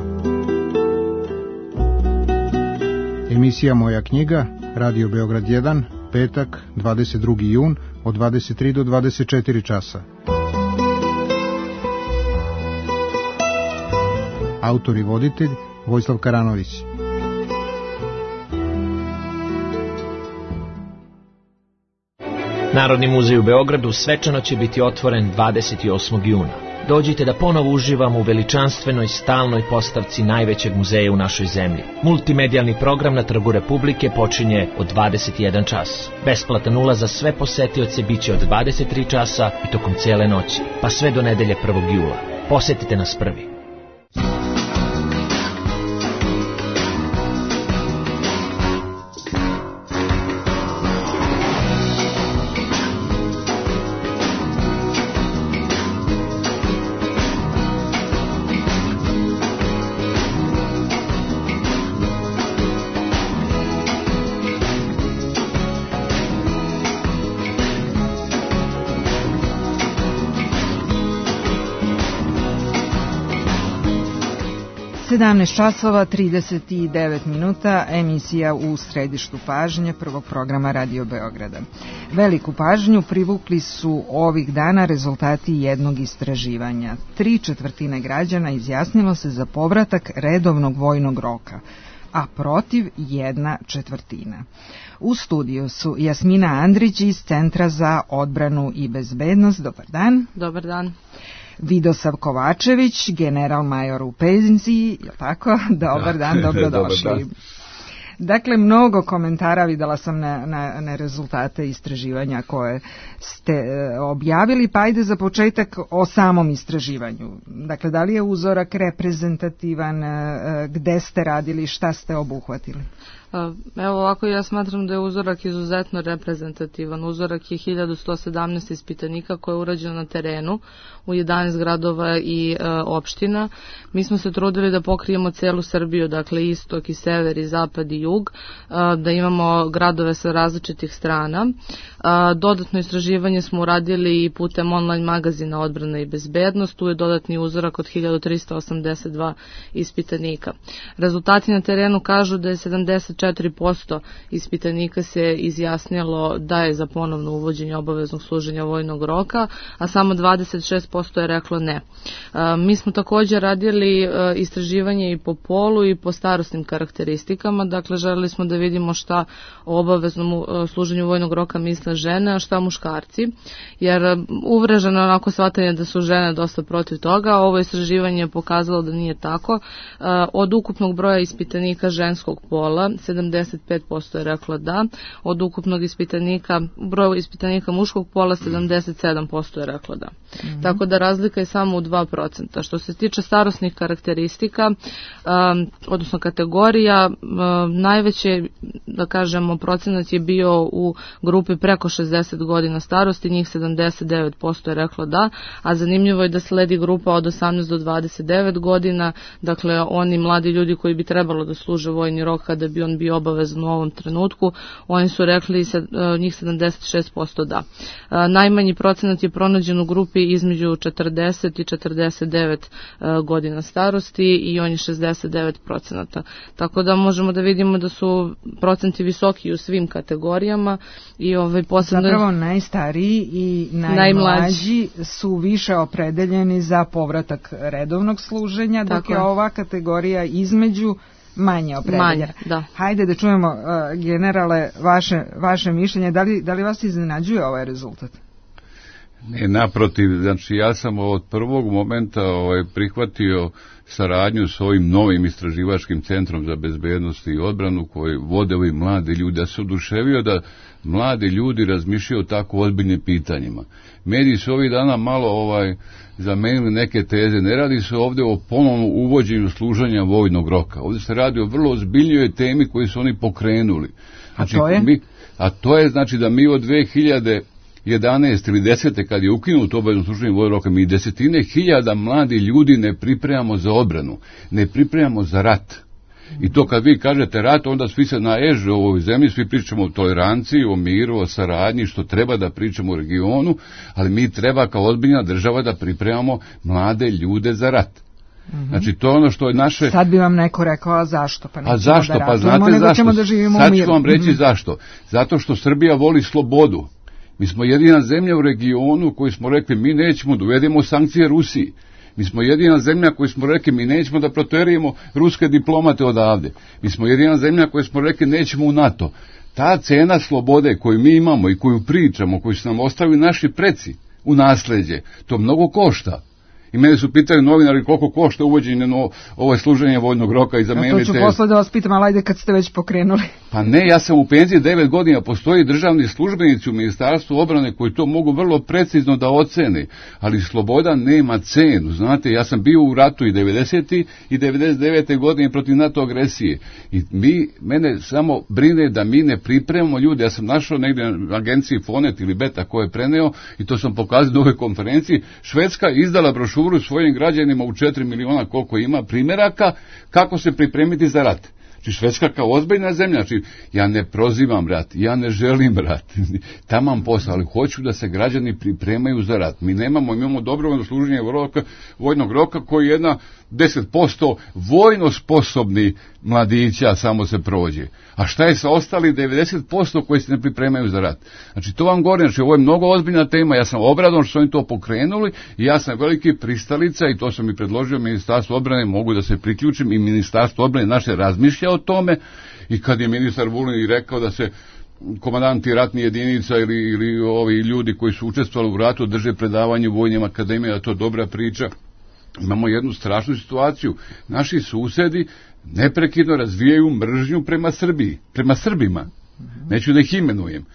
Emisija Moja knjiga, Radio Beograd jedan, petak, dvadeset drugi jun, od dvadeset tri do dvadeset četiri časa. Autor i voditelj Vojislav Karanović. Narodni muzej u Beogradu svečano će biti otvoren dvadeset osmog juna. Dođite da ponovo uživamo u veličanstvenoj stalnoj postavci najvećeg muzeja u našoj zemlji. Multimedijalni program na Trgu Republike počinje od dvadeset jedan čas. Besplatan ulaz za sve posetioce biće od dvadeset tri časa i tokom cele noći, pa sve do nedelje prvog jula. Posetite nas prvi. sedamnaest časova trideset devet minuta, emisija U središtu pažnje prvog programa Radio Beograda. Veliku pažnju privukli su ovih dana rezultati jednog istraživanja. Tri četvrtine građana izjasnilo se za povratak redovnog vojnog roka, a protiv jedna četvrtina. U studiju su Jasmina Andrić iz Centra za odbranu i bezbednost. Dobar dan. Dobar dan. Vidosav Kovačević, general major u penziji, je tako? Dobar dan, dobrodošli. Dakle, mnogo komentara videla sam na, na, na rezultate istraživanja koje ste e, objavili, pa ajde za početak o samom istraživanju. Dakle, da li je uzorak reprezentativan, e, gde ste radili, šta ste obuhvatili? Evo ovako, ja smatram da je uzorak izuzetno reprezentativan. Uzorak je hiljadu sto sedamnaest ispitanika koje je urađeno na terenu u jedanaest gradova i e, opština. Mi smo se trudili da pokrijemo celu Srbiju, dakle istok i sever i zapad i jug, e, da imamo gradove sa različitih strana. E, dodatno istraživanje smo uradili i putem online magazina Odbrana i bezbednost. Tu je dodatni uzorak od hiljadu trista osamdeset dva ispitanika. Rezultati na terenu kažu da je sedamdeset četiri posto ispitanika se izjasnilo da je za ponovno uvođenje obaveznog služenja vojnog roka, a samo dvadeset šest posto je reklo ne. E, mi smo također radili e, istraživanje i po polu i po starosnim karakteristikama, dakle želeli smo da vidimo šta o obaveznom e, služenju vojnog roka misle žene, a šta muškarci, jer e, uvreženo onako shvatanje da su žene dosta protiv toga. Ovo istraživanje je pokazalo da nije tako. E, od ukupnog broja ispitanika ženskog pola sedamdeset pet posto je reklo da, od ukupnog ispitanika, broja ispitanika muškog pola sedamdeset sedam posto je reklo da. Mm-hmm. Tako da razlika je samo u dva procenta. Što se tiče starosnih karakteristika, um, odnosno kategorija, um, najveće, da kažemo, procenat je bio u grupi preko šezdeset godina starosti, njih sedamdeset devet posto je reklo da, a zanimljivo je da sledi grupa od osamnaest do dvadeset devet godina, dakle oni mladi ljudi koji bi trebalo da služe vojni rok kada bi on bio obavezan u ovom trenutku, oni su rekli njih sedamdeset šest posto da. Najmanji procenat je pronađen u grupi između četrdeset i četrdeset devet godina starosti i on je šezdeset devet procenata. Tako da možemo da vidimo da su procenti visoki u svim kategorijama i ovaj posebno... Zapravo najstariji i najmlađi su više opredeljeni za povratak redovnog služenja, dok Tako je ova kategorija između manje opredeljena. Manje, da. Hajde da čujemo, uh, generale, vaše, vaše mišljenje. Da li, da li vas iznenađuje ovaj rezultat? Ne, naprotiv, znači ja sam od prvog momenta ovaj, prihvatio saradnju s ovim novim istraživačkim centrom za bezbednost i odbranu koji vode ovi mladi ljudi. Ja se oduševio da mladi ljudi razmišljaju o tako ozbiljnim pitanjima. Mediji su ovih dana malo ovaj zamenili neke teze. Ne radi se ovdje o ponovnom uvođenju služenja vojnog roka. Ovdje se radi o vrlo ozbiljnoj temi koju su oni pokrenuli. Znači, a to je? Mi, a to je znači da mi od dve hiljade jedanaeste ili desete kad je ukinuto obavezno služenje vojnog roka, mi desetine hiljada mladi ljudi ne pripremamo za odbranu, ne pripremamo za rat. I to kad vi kažete rat, onda svi se naježe u ovoj zemlji, svi pričamo o toleranciji, o miru, o saradnji, što treba da pričamo u regionu, ali mi treba kao ozbiljna država da pripremamo mlade ljude za rat. Mm-hmm. Znači to je ono što je naše... Sad bi vam neko rekao, a zašto? Pa a zašto? Da pa znate zašto? Sad ću vam reći mm-hmm. zašto. Zato što Srbija voli slobodu. Mi smo jedina zemlja u regionu koji smo rekli mi nećemo da uvedemo sankcije Rusiji. Mi smo jedina zemlja koji smo rekli mi nećemo da proterujemo ruske diplomate odavde. Mi smo jedina zemlja koji smo rekli nećemo u NATO. Ta cena slobode koju mi imamo i koju pričamo, koju su nam ostavili naši preci u nasleđe, to mnogo košta. I mene su pitali novinari koliko košta uvođenje no, ovo služenje vojnog roka i zamenite... Ja to ću posle da vas pitam, ali ajde kad ste već pokrenuli. Pa ne, ja sam u penziji devet godina, postoji državni službenici u Ministarstvu obrane koji to mogu vrlo precizno da ocene, ali sloboda nema cenu, znate, ja sam bio u ratu i devedesete i devedeset devete godine protiv NATO agresije i mi, mene samo brine da mi ne pripremamo ljude, ja sam našao negdje na agenciji Fonet ili Beta koje je preneo i to sam pokazao na ovoj konferenciji, Švedska izdala brošuru svojim građanima u četiri miliona koliko ima primjeraka kako se pripremiti za rat. Znači Švedska kao ozbiljna zemlja, znači ja ne prozivam rat, ja ne želim rat, tamam posao, ali hoću da se građani pripremaju za rat. Mi nemamo, imamo dobrovoljno služenje roka, vojnog roka koji je jedna deset posto vojno sposobni mladića samo se prođe. A šta je sa ostali devedeset posto koji se ne pripremaju za rat? Znači to vam govorim, znači ovo je mnogo ozbiljna tema, ja sam obradovan što su oni to pokrenuli i ja sam veliki pristalica i to sam i predložio Ministarstvu obrane, mogu da se priključim i Ministarstvo obrane naše razmišlja o tome i kad je ministar Vulin rekao da se komandanti ratnih jedinica ili, ili ovi ljudi koji su učestvovali u ratu drže predavanje u vojnim akademijama, to je dobra priča. Imamo jednu strašnu situaciju. Naši susedi neprekidno razvijaju mržnju prema Srbiji, prema Srbima. Neću da ih imenujem.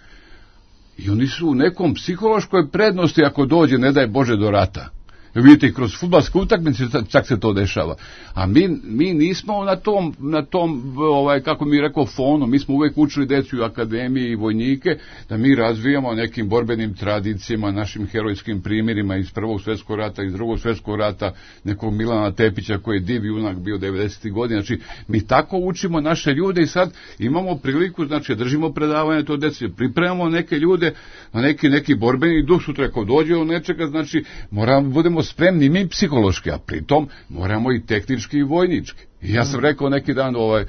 I oni su u nekom psihološkoj prednosti ako dođe, ne daj Bože, do rata. Vidite, kroz fudbalske utakmice čak se to dešava. A mi, mi nismo na tom, na tom ovaj, kako mi rekao, fonu. Mi smo uvek učili decu u akademiji i vojnike, da mi razvijamo nekim borbenim tradicijama, našim herojskim primjerima iz Prvog svjetskog rata, iz Drugog svjetskog rata, nekog Milana Tepića koji je div junak bio devedesetih godina. Znači, mi tako učimo naše ljude i sad imamo priliku, znači, držimo predavanje to deci, pripremamo neke ljude na neki, neki borbeni duh, sutra ako dođe od nečega, znači, moramo, budemo spremni mi psihološki, a pritom moramo i tehnički i vojnički. I ja sam rekao neki dan ovaj,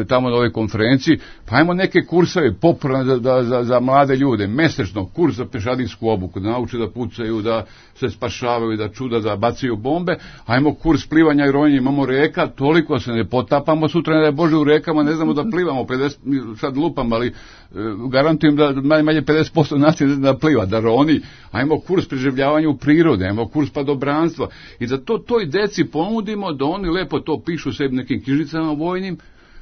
tamo na ovoj konferenciji, pa ajmo neke kurseve popularne za, za, za mlade ljude, mesečno, kurs za pešadinsku obuku, da nauče da pucaju, da se spašavaju, da čuda, da bacaju bombe, ajmo kurs plivanja i ronjenja, imamo reka, toliko se ne potapamo, sutra ne da je Bože u rekama, ne znamo da plivamo, pedeset, sad lupam, ali garantujem da najmanje pedeset posto nacije ne zna da pliva, da roni, ajmo kurs preživljavanja u prirode, ajmo kurs padobranstva i da to toj deci ponudimo, da oni lepo to pišu sebi nekim knjižicama vojnim,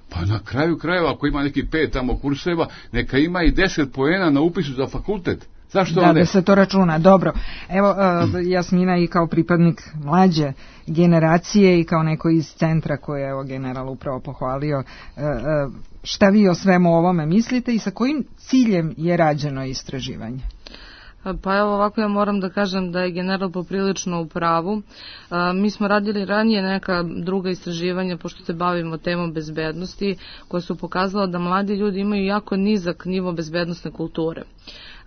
pa na kraju krajeva, ako ima neki pet tamo kurseva, neka ima i deset poena na upisu za fakultet. Zašto da, da se to računa, dobro. Evo, uh, Jasmina i kao pripadnik mlađe generacije i kao neko iz centra koje je evo general upravo pohvalio, uh, uh, šta vi o svemu ovome mislite i sa kojim ciljem je rađeno istraživanje? Pa evo ovako, ja moram da kažem da je general poprilično u pravu. A, mi smo radili ranije neka druga istraživanja, pošto se bavimo temom bezbednosti, koja su pokazala da mladi ljudi imaju jako nizak nivo bezbednosne kulture.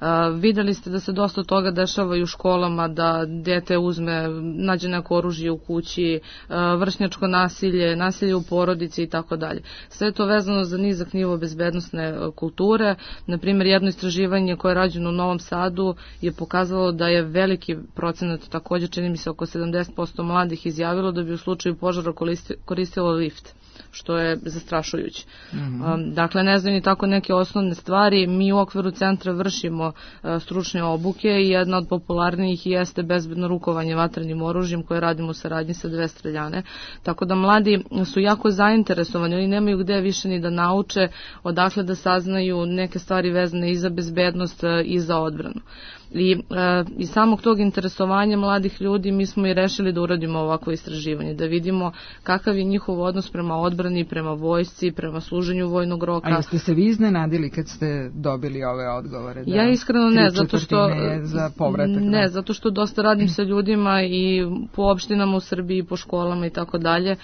Uh, videli ste da se dosta toga dešava i u školama, da dete uzme, nađe neko oružje u kući, uh, vršnjačko nasilje, nasilje u porodici i tako dalje. Sve je to vezano za nizak nivo bezbednosne uh, kulture. Naprimjer, jedno istraživanje koje je rađeno u Novom Sadu je pokazalo da je veliki procenat, također čini mi se oko sedamdeset posto mladih izjavilo da bi u slučaju požara koristilo lift, što je zastrašujuće. Mm-hmm. Um, dakle, ne znaju ni tako neke osnovne stvari. Mi u okviru centra vršimo uh, stručne obuke i jedna od popularnijih jeste bezbedno rukovanje vatrenim oružjem koje radimo u saradnji sa dve streljane. Tako da mladi su jako zainteresovani, oni nemaju gde više ni da nauče, odakle da saznaju neke stvari vezane i za bezbednost uh, i za odbranu. I e, iz samog tog interesovanja mladih ljudi mi smo i rešili da uradimo ovakvo istraživanje, da vidimo kakav je njihov odnos prema odbrani, prema vojsci, prema služenju vojnog roka. A jeste se vi iznenadili kad ste dobili ove odgovore? Da ja iskreno ne, zato što za povratak, ne, zato što dosta radim sa ljudima i po opštinama u Srbiji, po školama i tako dalje.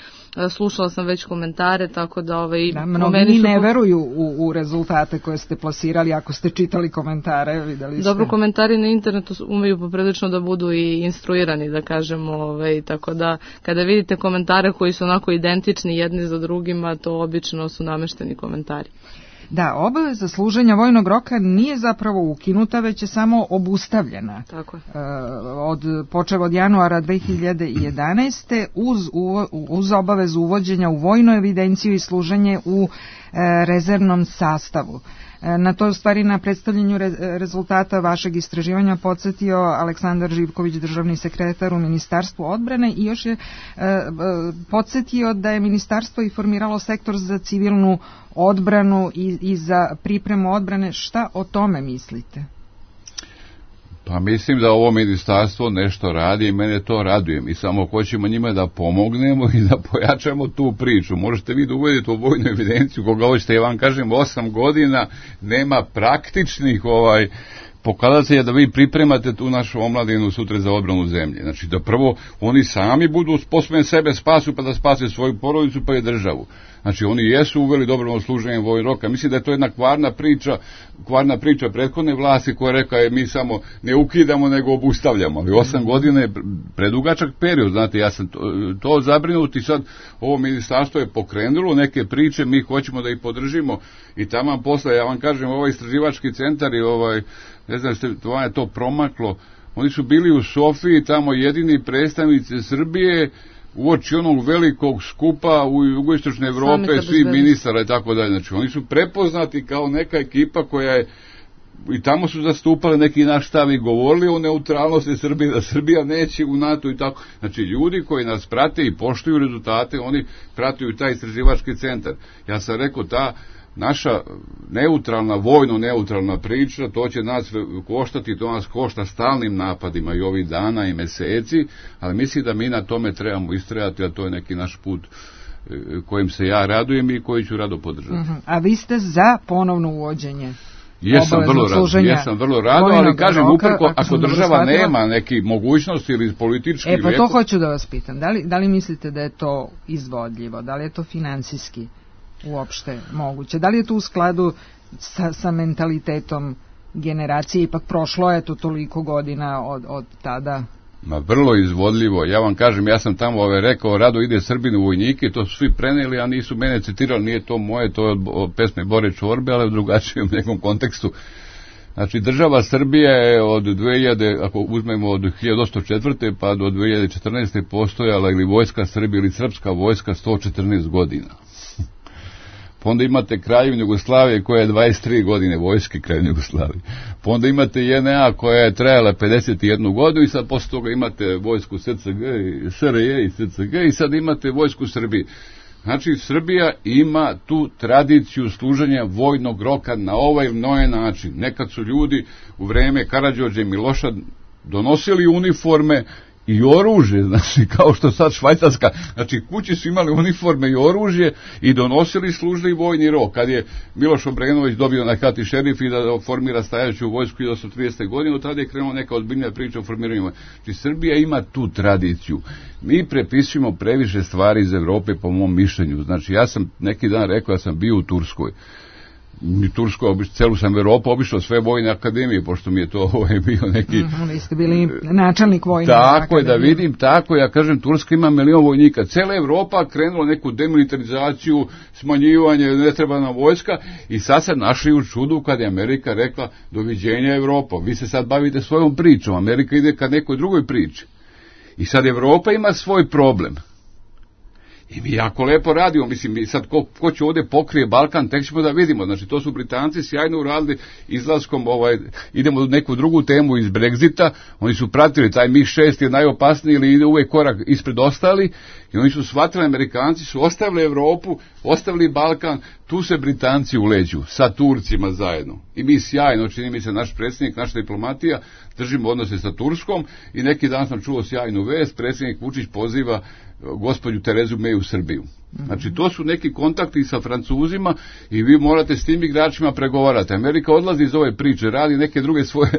Slušala sam već komentare, tako da ovaj da, mnogi ne po... veruju u, u rezultate koje ste plasirali. Ako ste čitali komentare, videli ste. Dobro, komentari na internetu umeju poprilično da budu i instruirani, da kažemo, ovaj, tako da kada vidite komentare koji su onako identični jedni za drugima, to obično su namešteni komentari. Da, obaveza služenja vojnog roka nije zapravo ukinuta, već je samo obustavljena. Tako je. Od, počev od januara dve hiljade jedanaeste uz, uz obavezu uvođenja u vojnu evidenciju i služenje u rezervnom sastavu. Na to, u stvari, na predstavljanju re, rezultata vašeg istraživanja podsjetio Aleksandar Živković, državni sekretar u Ministarstvu odbrane, i još je e, podsjetio da je ministarstvo i formiralo sektor za civilnu odbranu i, i za pripremu odbrane. Šta o tome mislite? Pa mislim da ovo ministarstvo nešto radi i mene to raduje. Mi samo hoćemo njima da pomognemo i da pojačamo tu priču. Možete vi da uvedete u vojnu evidenciju, koga hoćete, ja vam kažem, osam godina nema praktičnih ovaj pokazatelja da vi pripremate tu našu omladinu sutra za odbranu zemlje. Znači da prvo oni sami budu sposobni sebe spasu pa da spase svoju porodicu pa i državu. Znači oni jesu uveli dobrovoljno služenje vojnog roka. Mislim da je to jedna kvarna priča, kvarna priča prethodne vlasti koja reka je mi samo ne ukidamo nego obustavljamo. Ali osam godina je predugačak period. Znate, ja sam to, to zabrinut i sad ovo ministarstvo je pokrenulo neke priče, mi hoćemo da ih podržimo i tamo posle, ja vam kažem, ovaj istraživački centar i ovaj, ne znam, to je to promaklo. Oni su bili u Sofiji, tamo jedini predstavnici Srbije uoči onog velikog skupa u jugoistočnoj Evrope, svi ministara i tako dalje. Znači, oni su prepoznati kao neka ekipa koja je i tamo su zastupali neki naš stav i govorili o neutralnosti Srbije, da Srbija neće u NATO i tako. Znači, ljudi koji nas prate i poštuju rezultate, oni pratuju taj istraživački centar. Ja sam rekao, ta naša neutralna, vojno neutralna priča, to će nas koštati, to nas košta stalnim napadima i ovih dana i meseci, ali mislim da mi na tome trebamo istrajati, a to je neki naš put kojim se ja radujem i koji ću rado podržati. Uh-huh. A vi ste za ponovno uvođenje? Jesam vrlo rado, jesam vrlo rado, ali kažem uprko, ako, ako država nema neki mogućnosti ili politički... E, pa to hoću da vas pitam, da li, da li mislite da je to izvodljivo, da li je to finansijski uopšte moguće, da li je to u skladu sa, sa mentalitetom generacije, ipak prošlo je to toliko godina od, od tada... Ma vrlo izvodljivo, ja vam kažem, ja sam tamo ove rekao, rado ide Srbin u vojnike, to su svi preneli, a nisu mene citirali, nije to moje, to je od, od pesme Bore Čorbe, ali u drugačijem nekom kontekstu. Znači, država Srbije je od dve hiljade, ako uzmemo od hiljadu osamsto četvrte pa do dve hiljade četrnaeste postojala ili vojska Srbije ili srpska vojska sto četrnaest godina. Pa onda imate Kraljevinu Jugoslavije koja je dvadeset tri godine vojske Kraljevine Jugoslavije. Pa onda imate J N A koja je trajala pedeset jednu godinu i sad posle toga imate vojsku S C G, S R J i S C G i sad imate vojsku Srbije. Znači, Srbija ima tu tradiciju služenja vojnog roka na ovaj ili noje način. Nekad su ljudi u vreme Karađorđa i Miloša donosili uniforme i oružje, znači, kao što sad Švajcarska, znači, kući su imali uniforme i oružje i donosili služili vojni rok. Kad je Miloš Obrenović dobio na kati šerif i da formira stajaću vojsku hiljadu osamsto tridesete. godine, tada je krenula neka ozbiljnija priča o formiranju. Znači, Srbija ima tu tradiciju. Mi prepisujemo previše stvari iz Evrope, po mom mišljenju. Znači, ja sam neki dan rekao da sam bio u Turskoj. I Tursko, celu sam Evropu obišao, sve vojne akademije, pošto mi je to ovaj, bio neki... Mm, vi ste bili načelnik vojne tako akademije. Tako je, da vidim, tako, ja kažem, Turska ima milion vojnika. Cela Evropa krenula neku demilitarizaciju, smanjivanje, ne treba nam vojska, i sad se našli u čudu kad je Amerika rekla, doviđenja Evropa, vi se sad bavite svojom pričom, Amerika ide ka nekoj drugoj priči. I sad Evropa ima svoj problem. I mi jako lepo radimo, mislim, mi sad ko, ko će ovdje pokrije Balkan, tek ćemo da vidimo. Znači, to su Britanci sjajno uradili izlaskom, ovaj, idemo u neku drugu temu iz Brexita, oni su pratili, taj MiG šest je najopasniji ili ide uvijek korak ispred ostali, i oni su shvatili, Amerikanci su ostavili Evropu, ostavili Balkan, tu se Britanci uleđu, sa Turcima zajedno. I mi sjajno, čini mi se, naš predsjednik, naša diplomatija, držimo odnose sa Turskom, i neki dan sam čuo sjajnu vest, predsjednik Vučić poziva gospođu Terezu May u Srbiju. Znači, to su neki kontakti sa Francuzima i vi morate s tim igračima pregovarati. Amerika odlazi iz ove priče, radi neke druge svoje,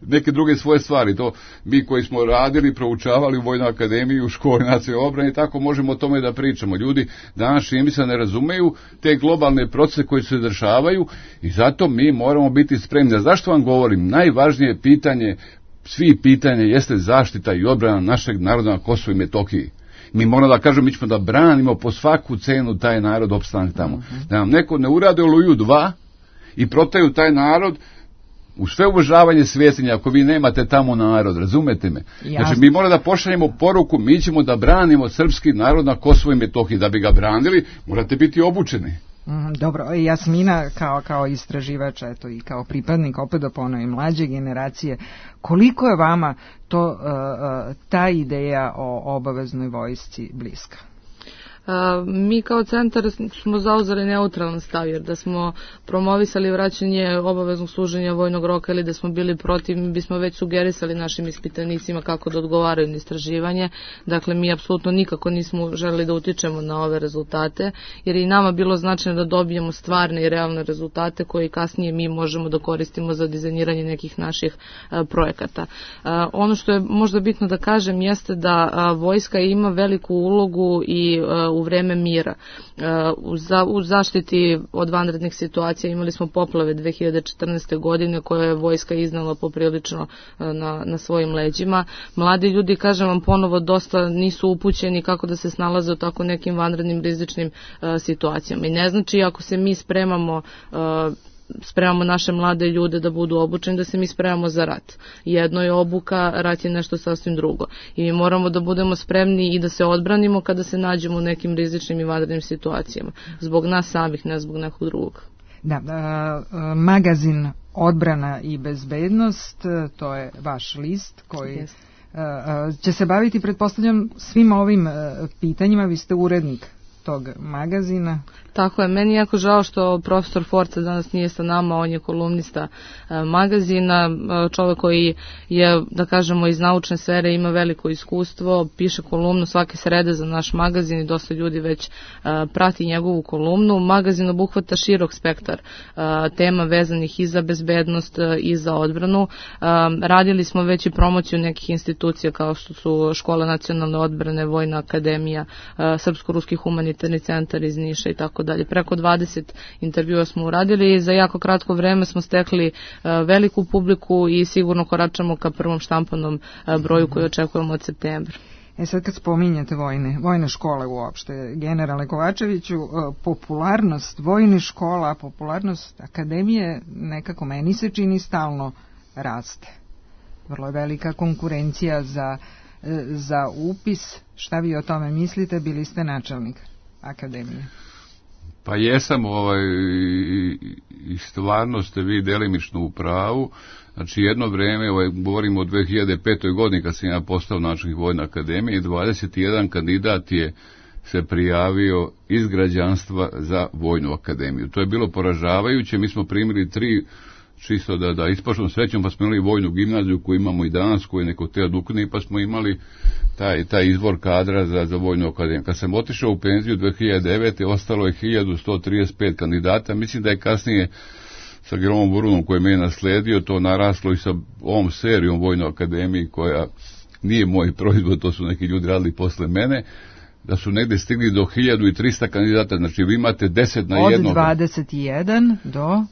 neke druge svoje stvari. To mi koji smo radili, proučavali u Vojnoj akademiji, u školi nacionalne obrane, tako možemo o tome da pričamo. Ljudi danas čini mi se ne razumeju te globalne procese koji se dešavaju i zato mi moramo biti spremni. Zašto vam govorim? Najvažnije pitanje, svi pitanje, jeste zaštita i odbrana našeg naroda na Kosovu i Metohiji. Mi moramo da kažemo, mi ćemo da branimo po svaku cenu taj narod opstanak tamo. Uh-huh. Da nam neko ne urade Oluju dva i protaju taj narod u sve uvažavanje svjetljenja, ako vi nemate tamo narod, razumete me? Jasne. Znači, mi moramo da pošaljemo poruku, mi ćemo da branimo srpski narod na Kosovu i Metohiji. Da bi ga branili, morate biti obučeni. Mm, dobro, Jasmina kao, kao istraživač, eto, i kao pripadnik, opet da ponovim, mlađe generacije, koliko je vama to, uh, uh, ta ideja o obaveznoj vojsci bliska? A, mi kao centar smo zauzeli neutralan stav, jer da smo promovisali vraćanje obaveznog služenja vojnog roka ili da smo bili protiv, mi bismo već sugerisali našim ispitanicima kako da odgovaraju na istraživanje. Dakle, mi apsolutno nikako nismo želeli da utičemo na ove rezultate, jer je i nama bilo značajno da dobijemo stvarne i realne rezultate koje kasnije mi možemo da koristimo za dizajniranje nekih naših a, projekata. A, ono što je možda bitno da kažem jeste da a, vojska ima veliku ulogu i a, u vreme mira. U, za, u zaštiti od vanrednih situacija imali smo poplave dve hiljade četrnaeste. godine koje je vojska iznala poprilično na, na svojim leđima. Mladi ljudi, kažem vam ponovo, dosta nisu upućeni kako da se snalaze u tako nekim vanrednim rizičnim uh, situacijama. I ne znači ako se mi spremamo uh, spremamo naše mlade ljude da budu obučeni, da se mi spremamo za rat. Jedno je obuka, rat je nešto sasvim drugo. I mi moramo da budemo spremni i da se odbranimo kada se nađemo u nekim rizičnim i vanrednim situacijama. Zbog nas samih, ne zbog nekog drugog. Da, uh, magazin Odbrana i bezbednost, to je vaš list koji yes. će se baviti, pretpostavljam, svim ovim pitanjima. Vi ste urednik tog magazina. Tako je, meni je jako žao što profesor Forca danas nije sa nama, on je kolumnista e, magazina, e, čovjek koji je, da kažemo, iz naučne sfere, ima veliko iskustvo, piše kolumnu svake srede za naš magazin i dosta ljudi već e, prati njegovu kolumnu. Magazin obuhvata širok spektar e, tema vezanih i za bezbednost e, i za odbranu. E, radili smo već i promociju nekih institucija kao što su Škola nacionalne odbrane, Vojna akademija, e, Srpsko-ruski humanitarni centar iz Niša i tako dalje. Preko dvadeset intervjua smo uradili i za jako kratko vreme smo stekli uh, veliku publiku i sigurno koračamo ka prvom štampanom uh, broju koji očekujemo od septembra. E sad kad spominjete vojne, vojne škole uopšte, generale Kovačeviću, uh, popularnost vojne škola, popularnost akademije nekako meni se čini stalno raste. Vrlo je velika konkurencija za, uh, za upis. Šta vi o tome mislite? Bili ste načelnik akademije. Pa jesam, ovaj, i stvarno ste vi delimično u pravu. Znači jedno vreme, ovaj, govorimo o dve hiljade petoj godini kad sam ja postao načelnik Vojne akademije, dvadeset jedan kandidat je se prijavio iz građanstva za Vojnu akademiju. To je bilo poražavajuće, mi smo primili tri, čisto da, da ispoštom srećom, pa smo imali Vojnu gimnaziju koju imamo i danas, koju neko te odukne, pa smo imali taj, taj izvor kadra za, za Vojnu akademiju. Kad sam otišao u penziju dve hiljade devete. ostalo je hiljadu sto trideset pet kandidata, mislim da je kasnije sa Gromom Burunom koji me je nasledio to naraslo i sa ovom serijom Vojnoj akademiji koja nije moj proizvod, to su neki ljudi radili posle mene, da su negde stigli do hiljadu trista kandidata, znači vi imate deset na jednog. Od dvadeset jedan do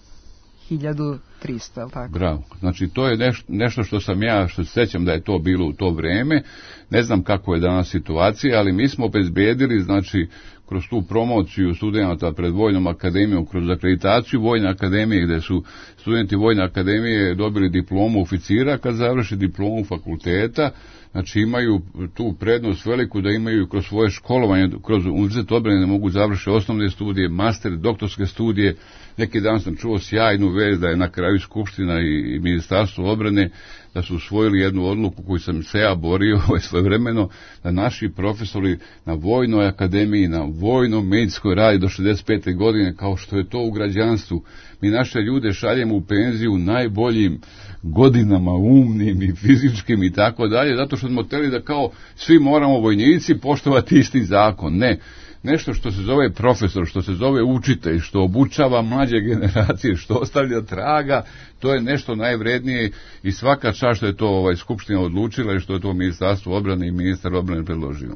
hiljadu trista, tako? Bravo. Znači, to je neš, nešto što sam ja, što se sećam da je to bilo u to vreme. Ne znam kako je danas situacija, ali mi smo obezbedili, znači, kroz tu promociju studenata pred Vojnom akademijom, kroz akreditaciju Vojne akademije, gde su studenti Vojne akademije dobili diplomu oficira, kad završe diplomu fakulteta, znači imaju tu prednost veliku da imaju kroz svoje školovanje, kroz univerzitet odbrane da mogu završiti osnovne studije, master, doktorske studije. Neki dan sam čuo sjajnu vest da je na kraju Skupština i Ministarstvo odbrane da su usvojili jednu odluku koju sam se ja borio svojevremeno, da naši profesori na Vojnoj akademiji, na vojnom medicinskoj radi do šezdeset pete godine, kao što je to u građanstvu. Mi naše ljude šaljemo u penziju najboljim godinama, umnim i fizičkim i tako dalje, zato što smo hteli da kao svi moramo vojnici poštovati isti zakon. Ne. Nešto što se zove profesor, što se zove učitelj, što obučava mlađe generacije, što ostavlja traga, to je nešto najvrednije i svaka čast što je to ovaj Skupština odlučila i što je to Ministarstvo odbrane i ministar odbrane predložio.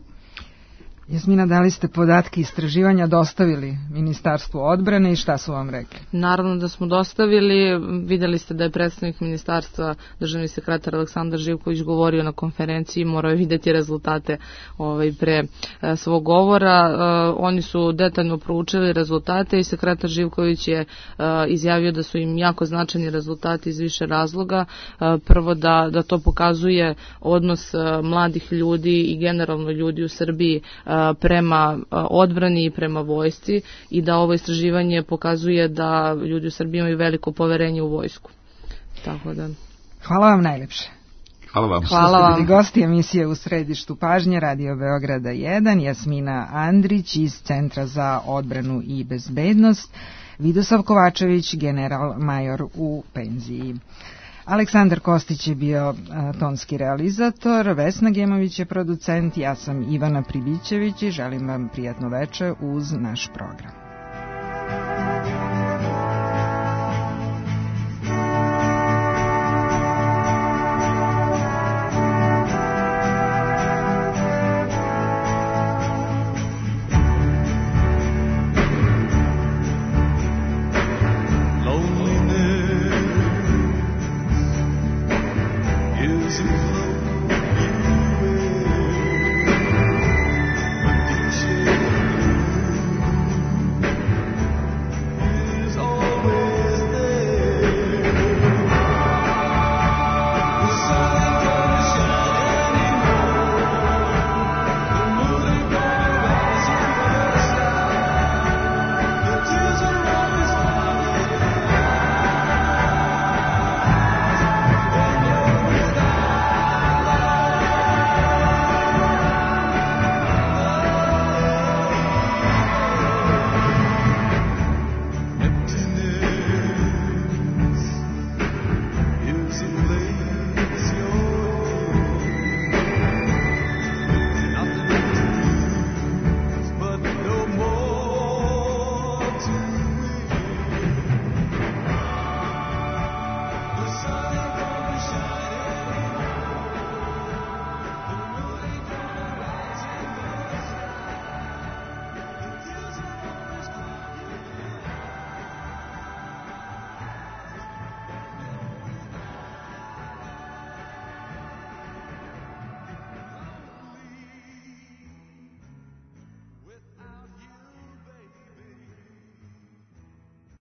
Jasmina, da li ste podatke istraživanja dostavili Ministarstvu odbrane i šta su vam rekli? Naravno da smo dostavili, vidjeli ste da je predstavnik ministarstva, državni sekretar Aleksandar Živković govorio na konferenciji, morao je vidjeti rezultate ovaj, pre e, svog govora. E, oni su detaljno proučili rezultate i sekretar Živković je e, izjavio da su im jako značajni rezultati iz više razloga. E, prvo da, da to pokazuje odnos e, mladih ljudi i generalno ljudi u Srbiji e, prema odbrani i prema vojsci i da ovo istraživanje pokazuje da ljudi u Srbiji imaju veliko poverenje u vojsku. Tako da... Hvala vam najlepše. Hvala vam. Hvala vam. Što ste bili gosti emisije U središtu pažnje Radio Beograda jedan, Jasmina Andrić iz Centra za odbranu i bezbednost, Vidosav Kovačević, general major u penziji. Aleksandar Kostić je bio a, tonski realizator, Vesna Gemović je producent, ja sam Ivana Pribićević i želim vam prijatno veče uz naš program.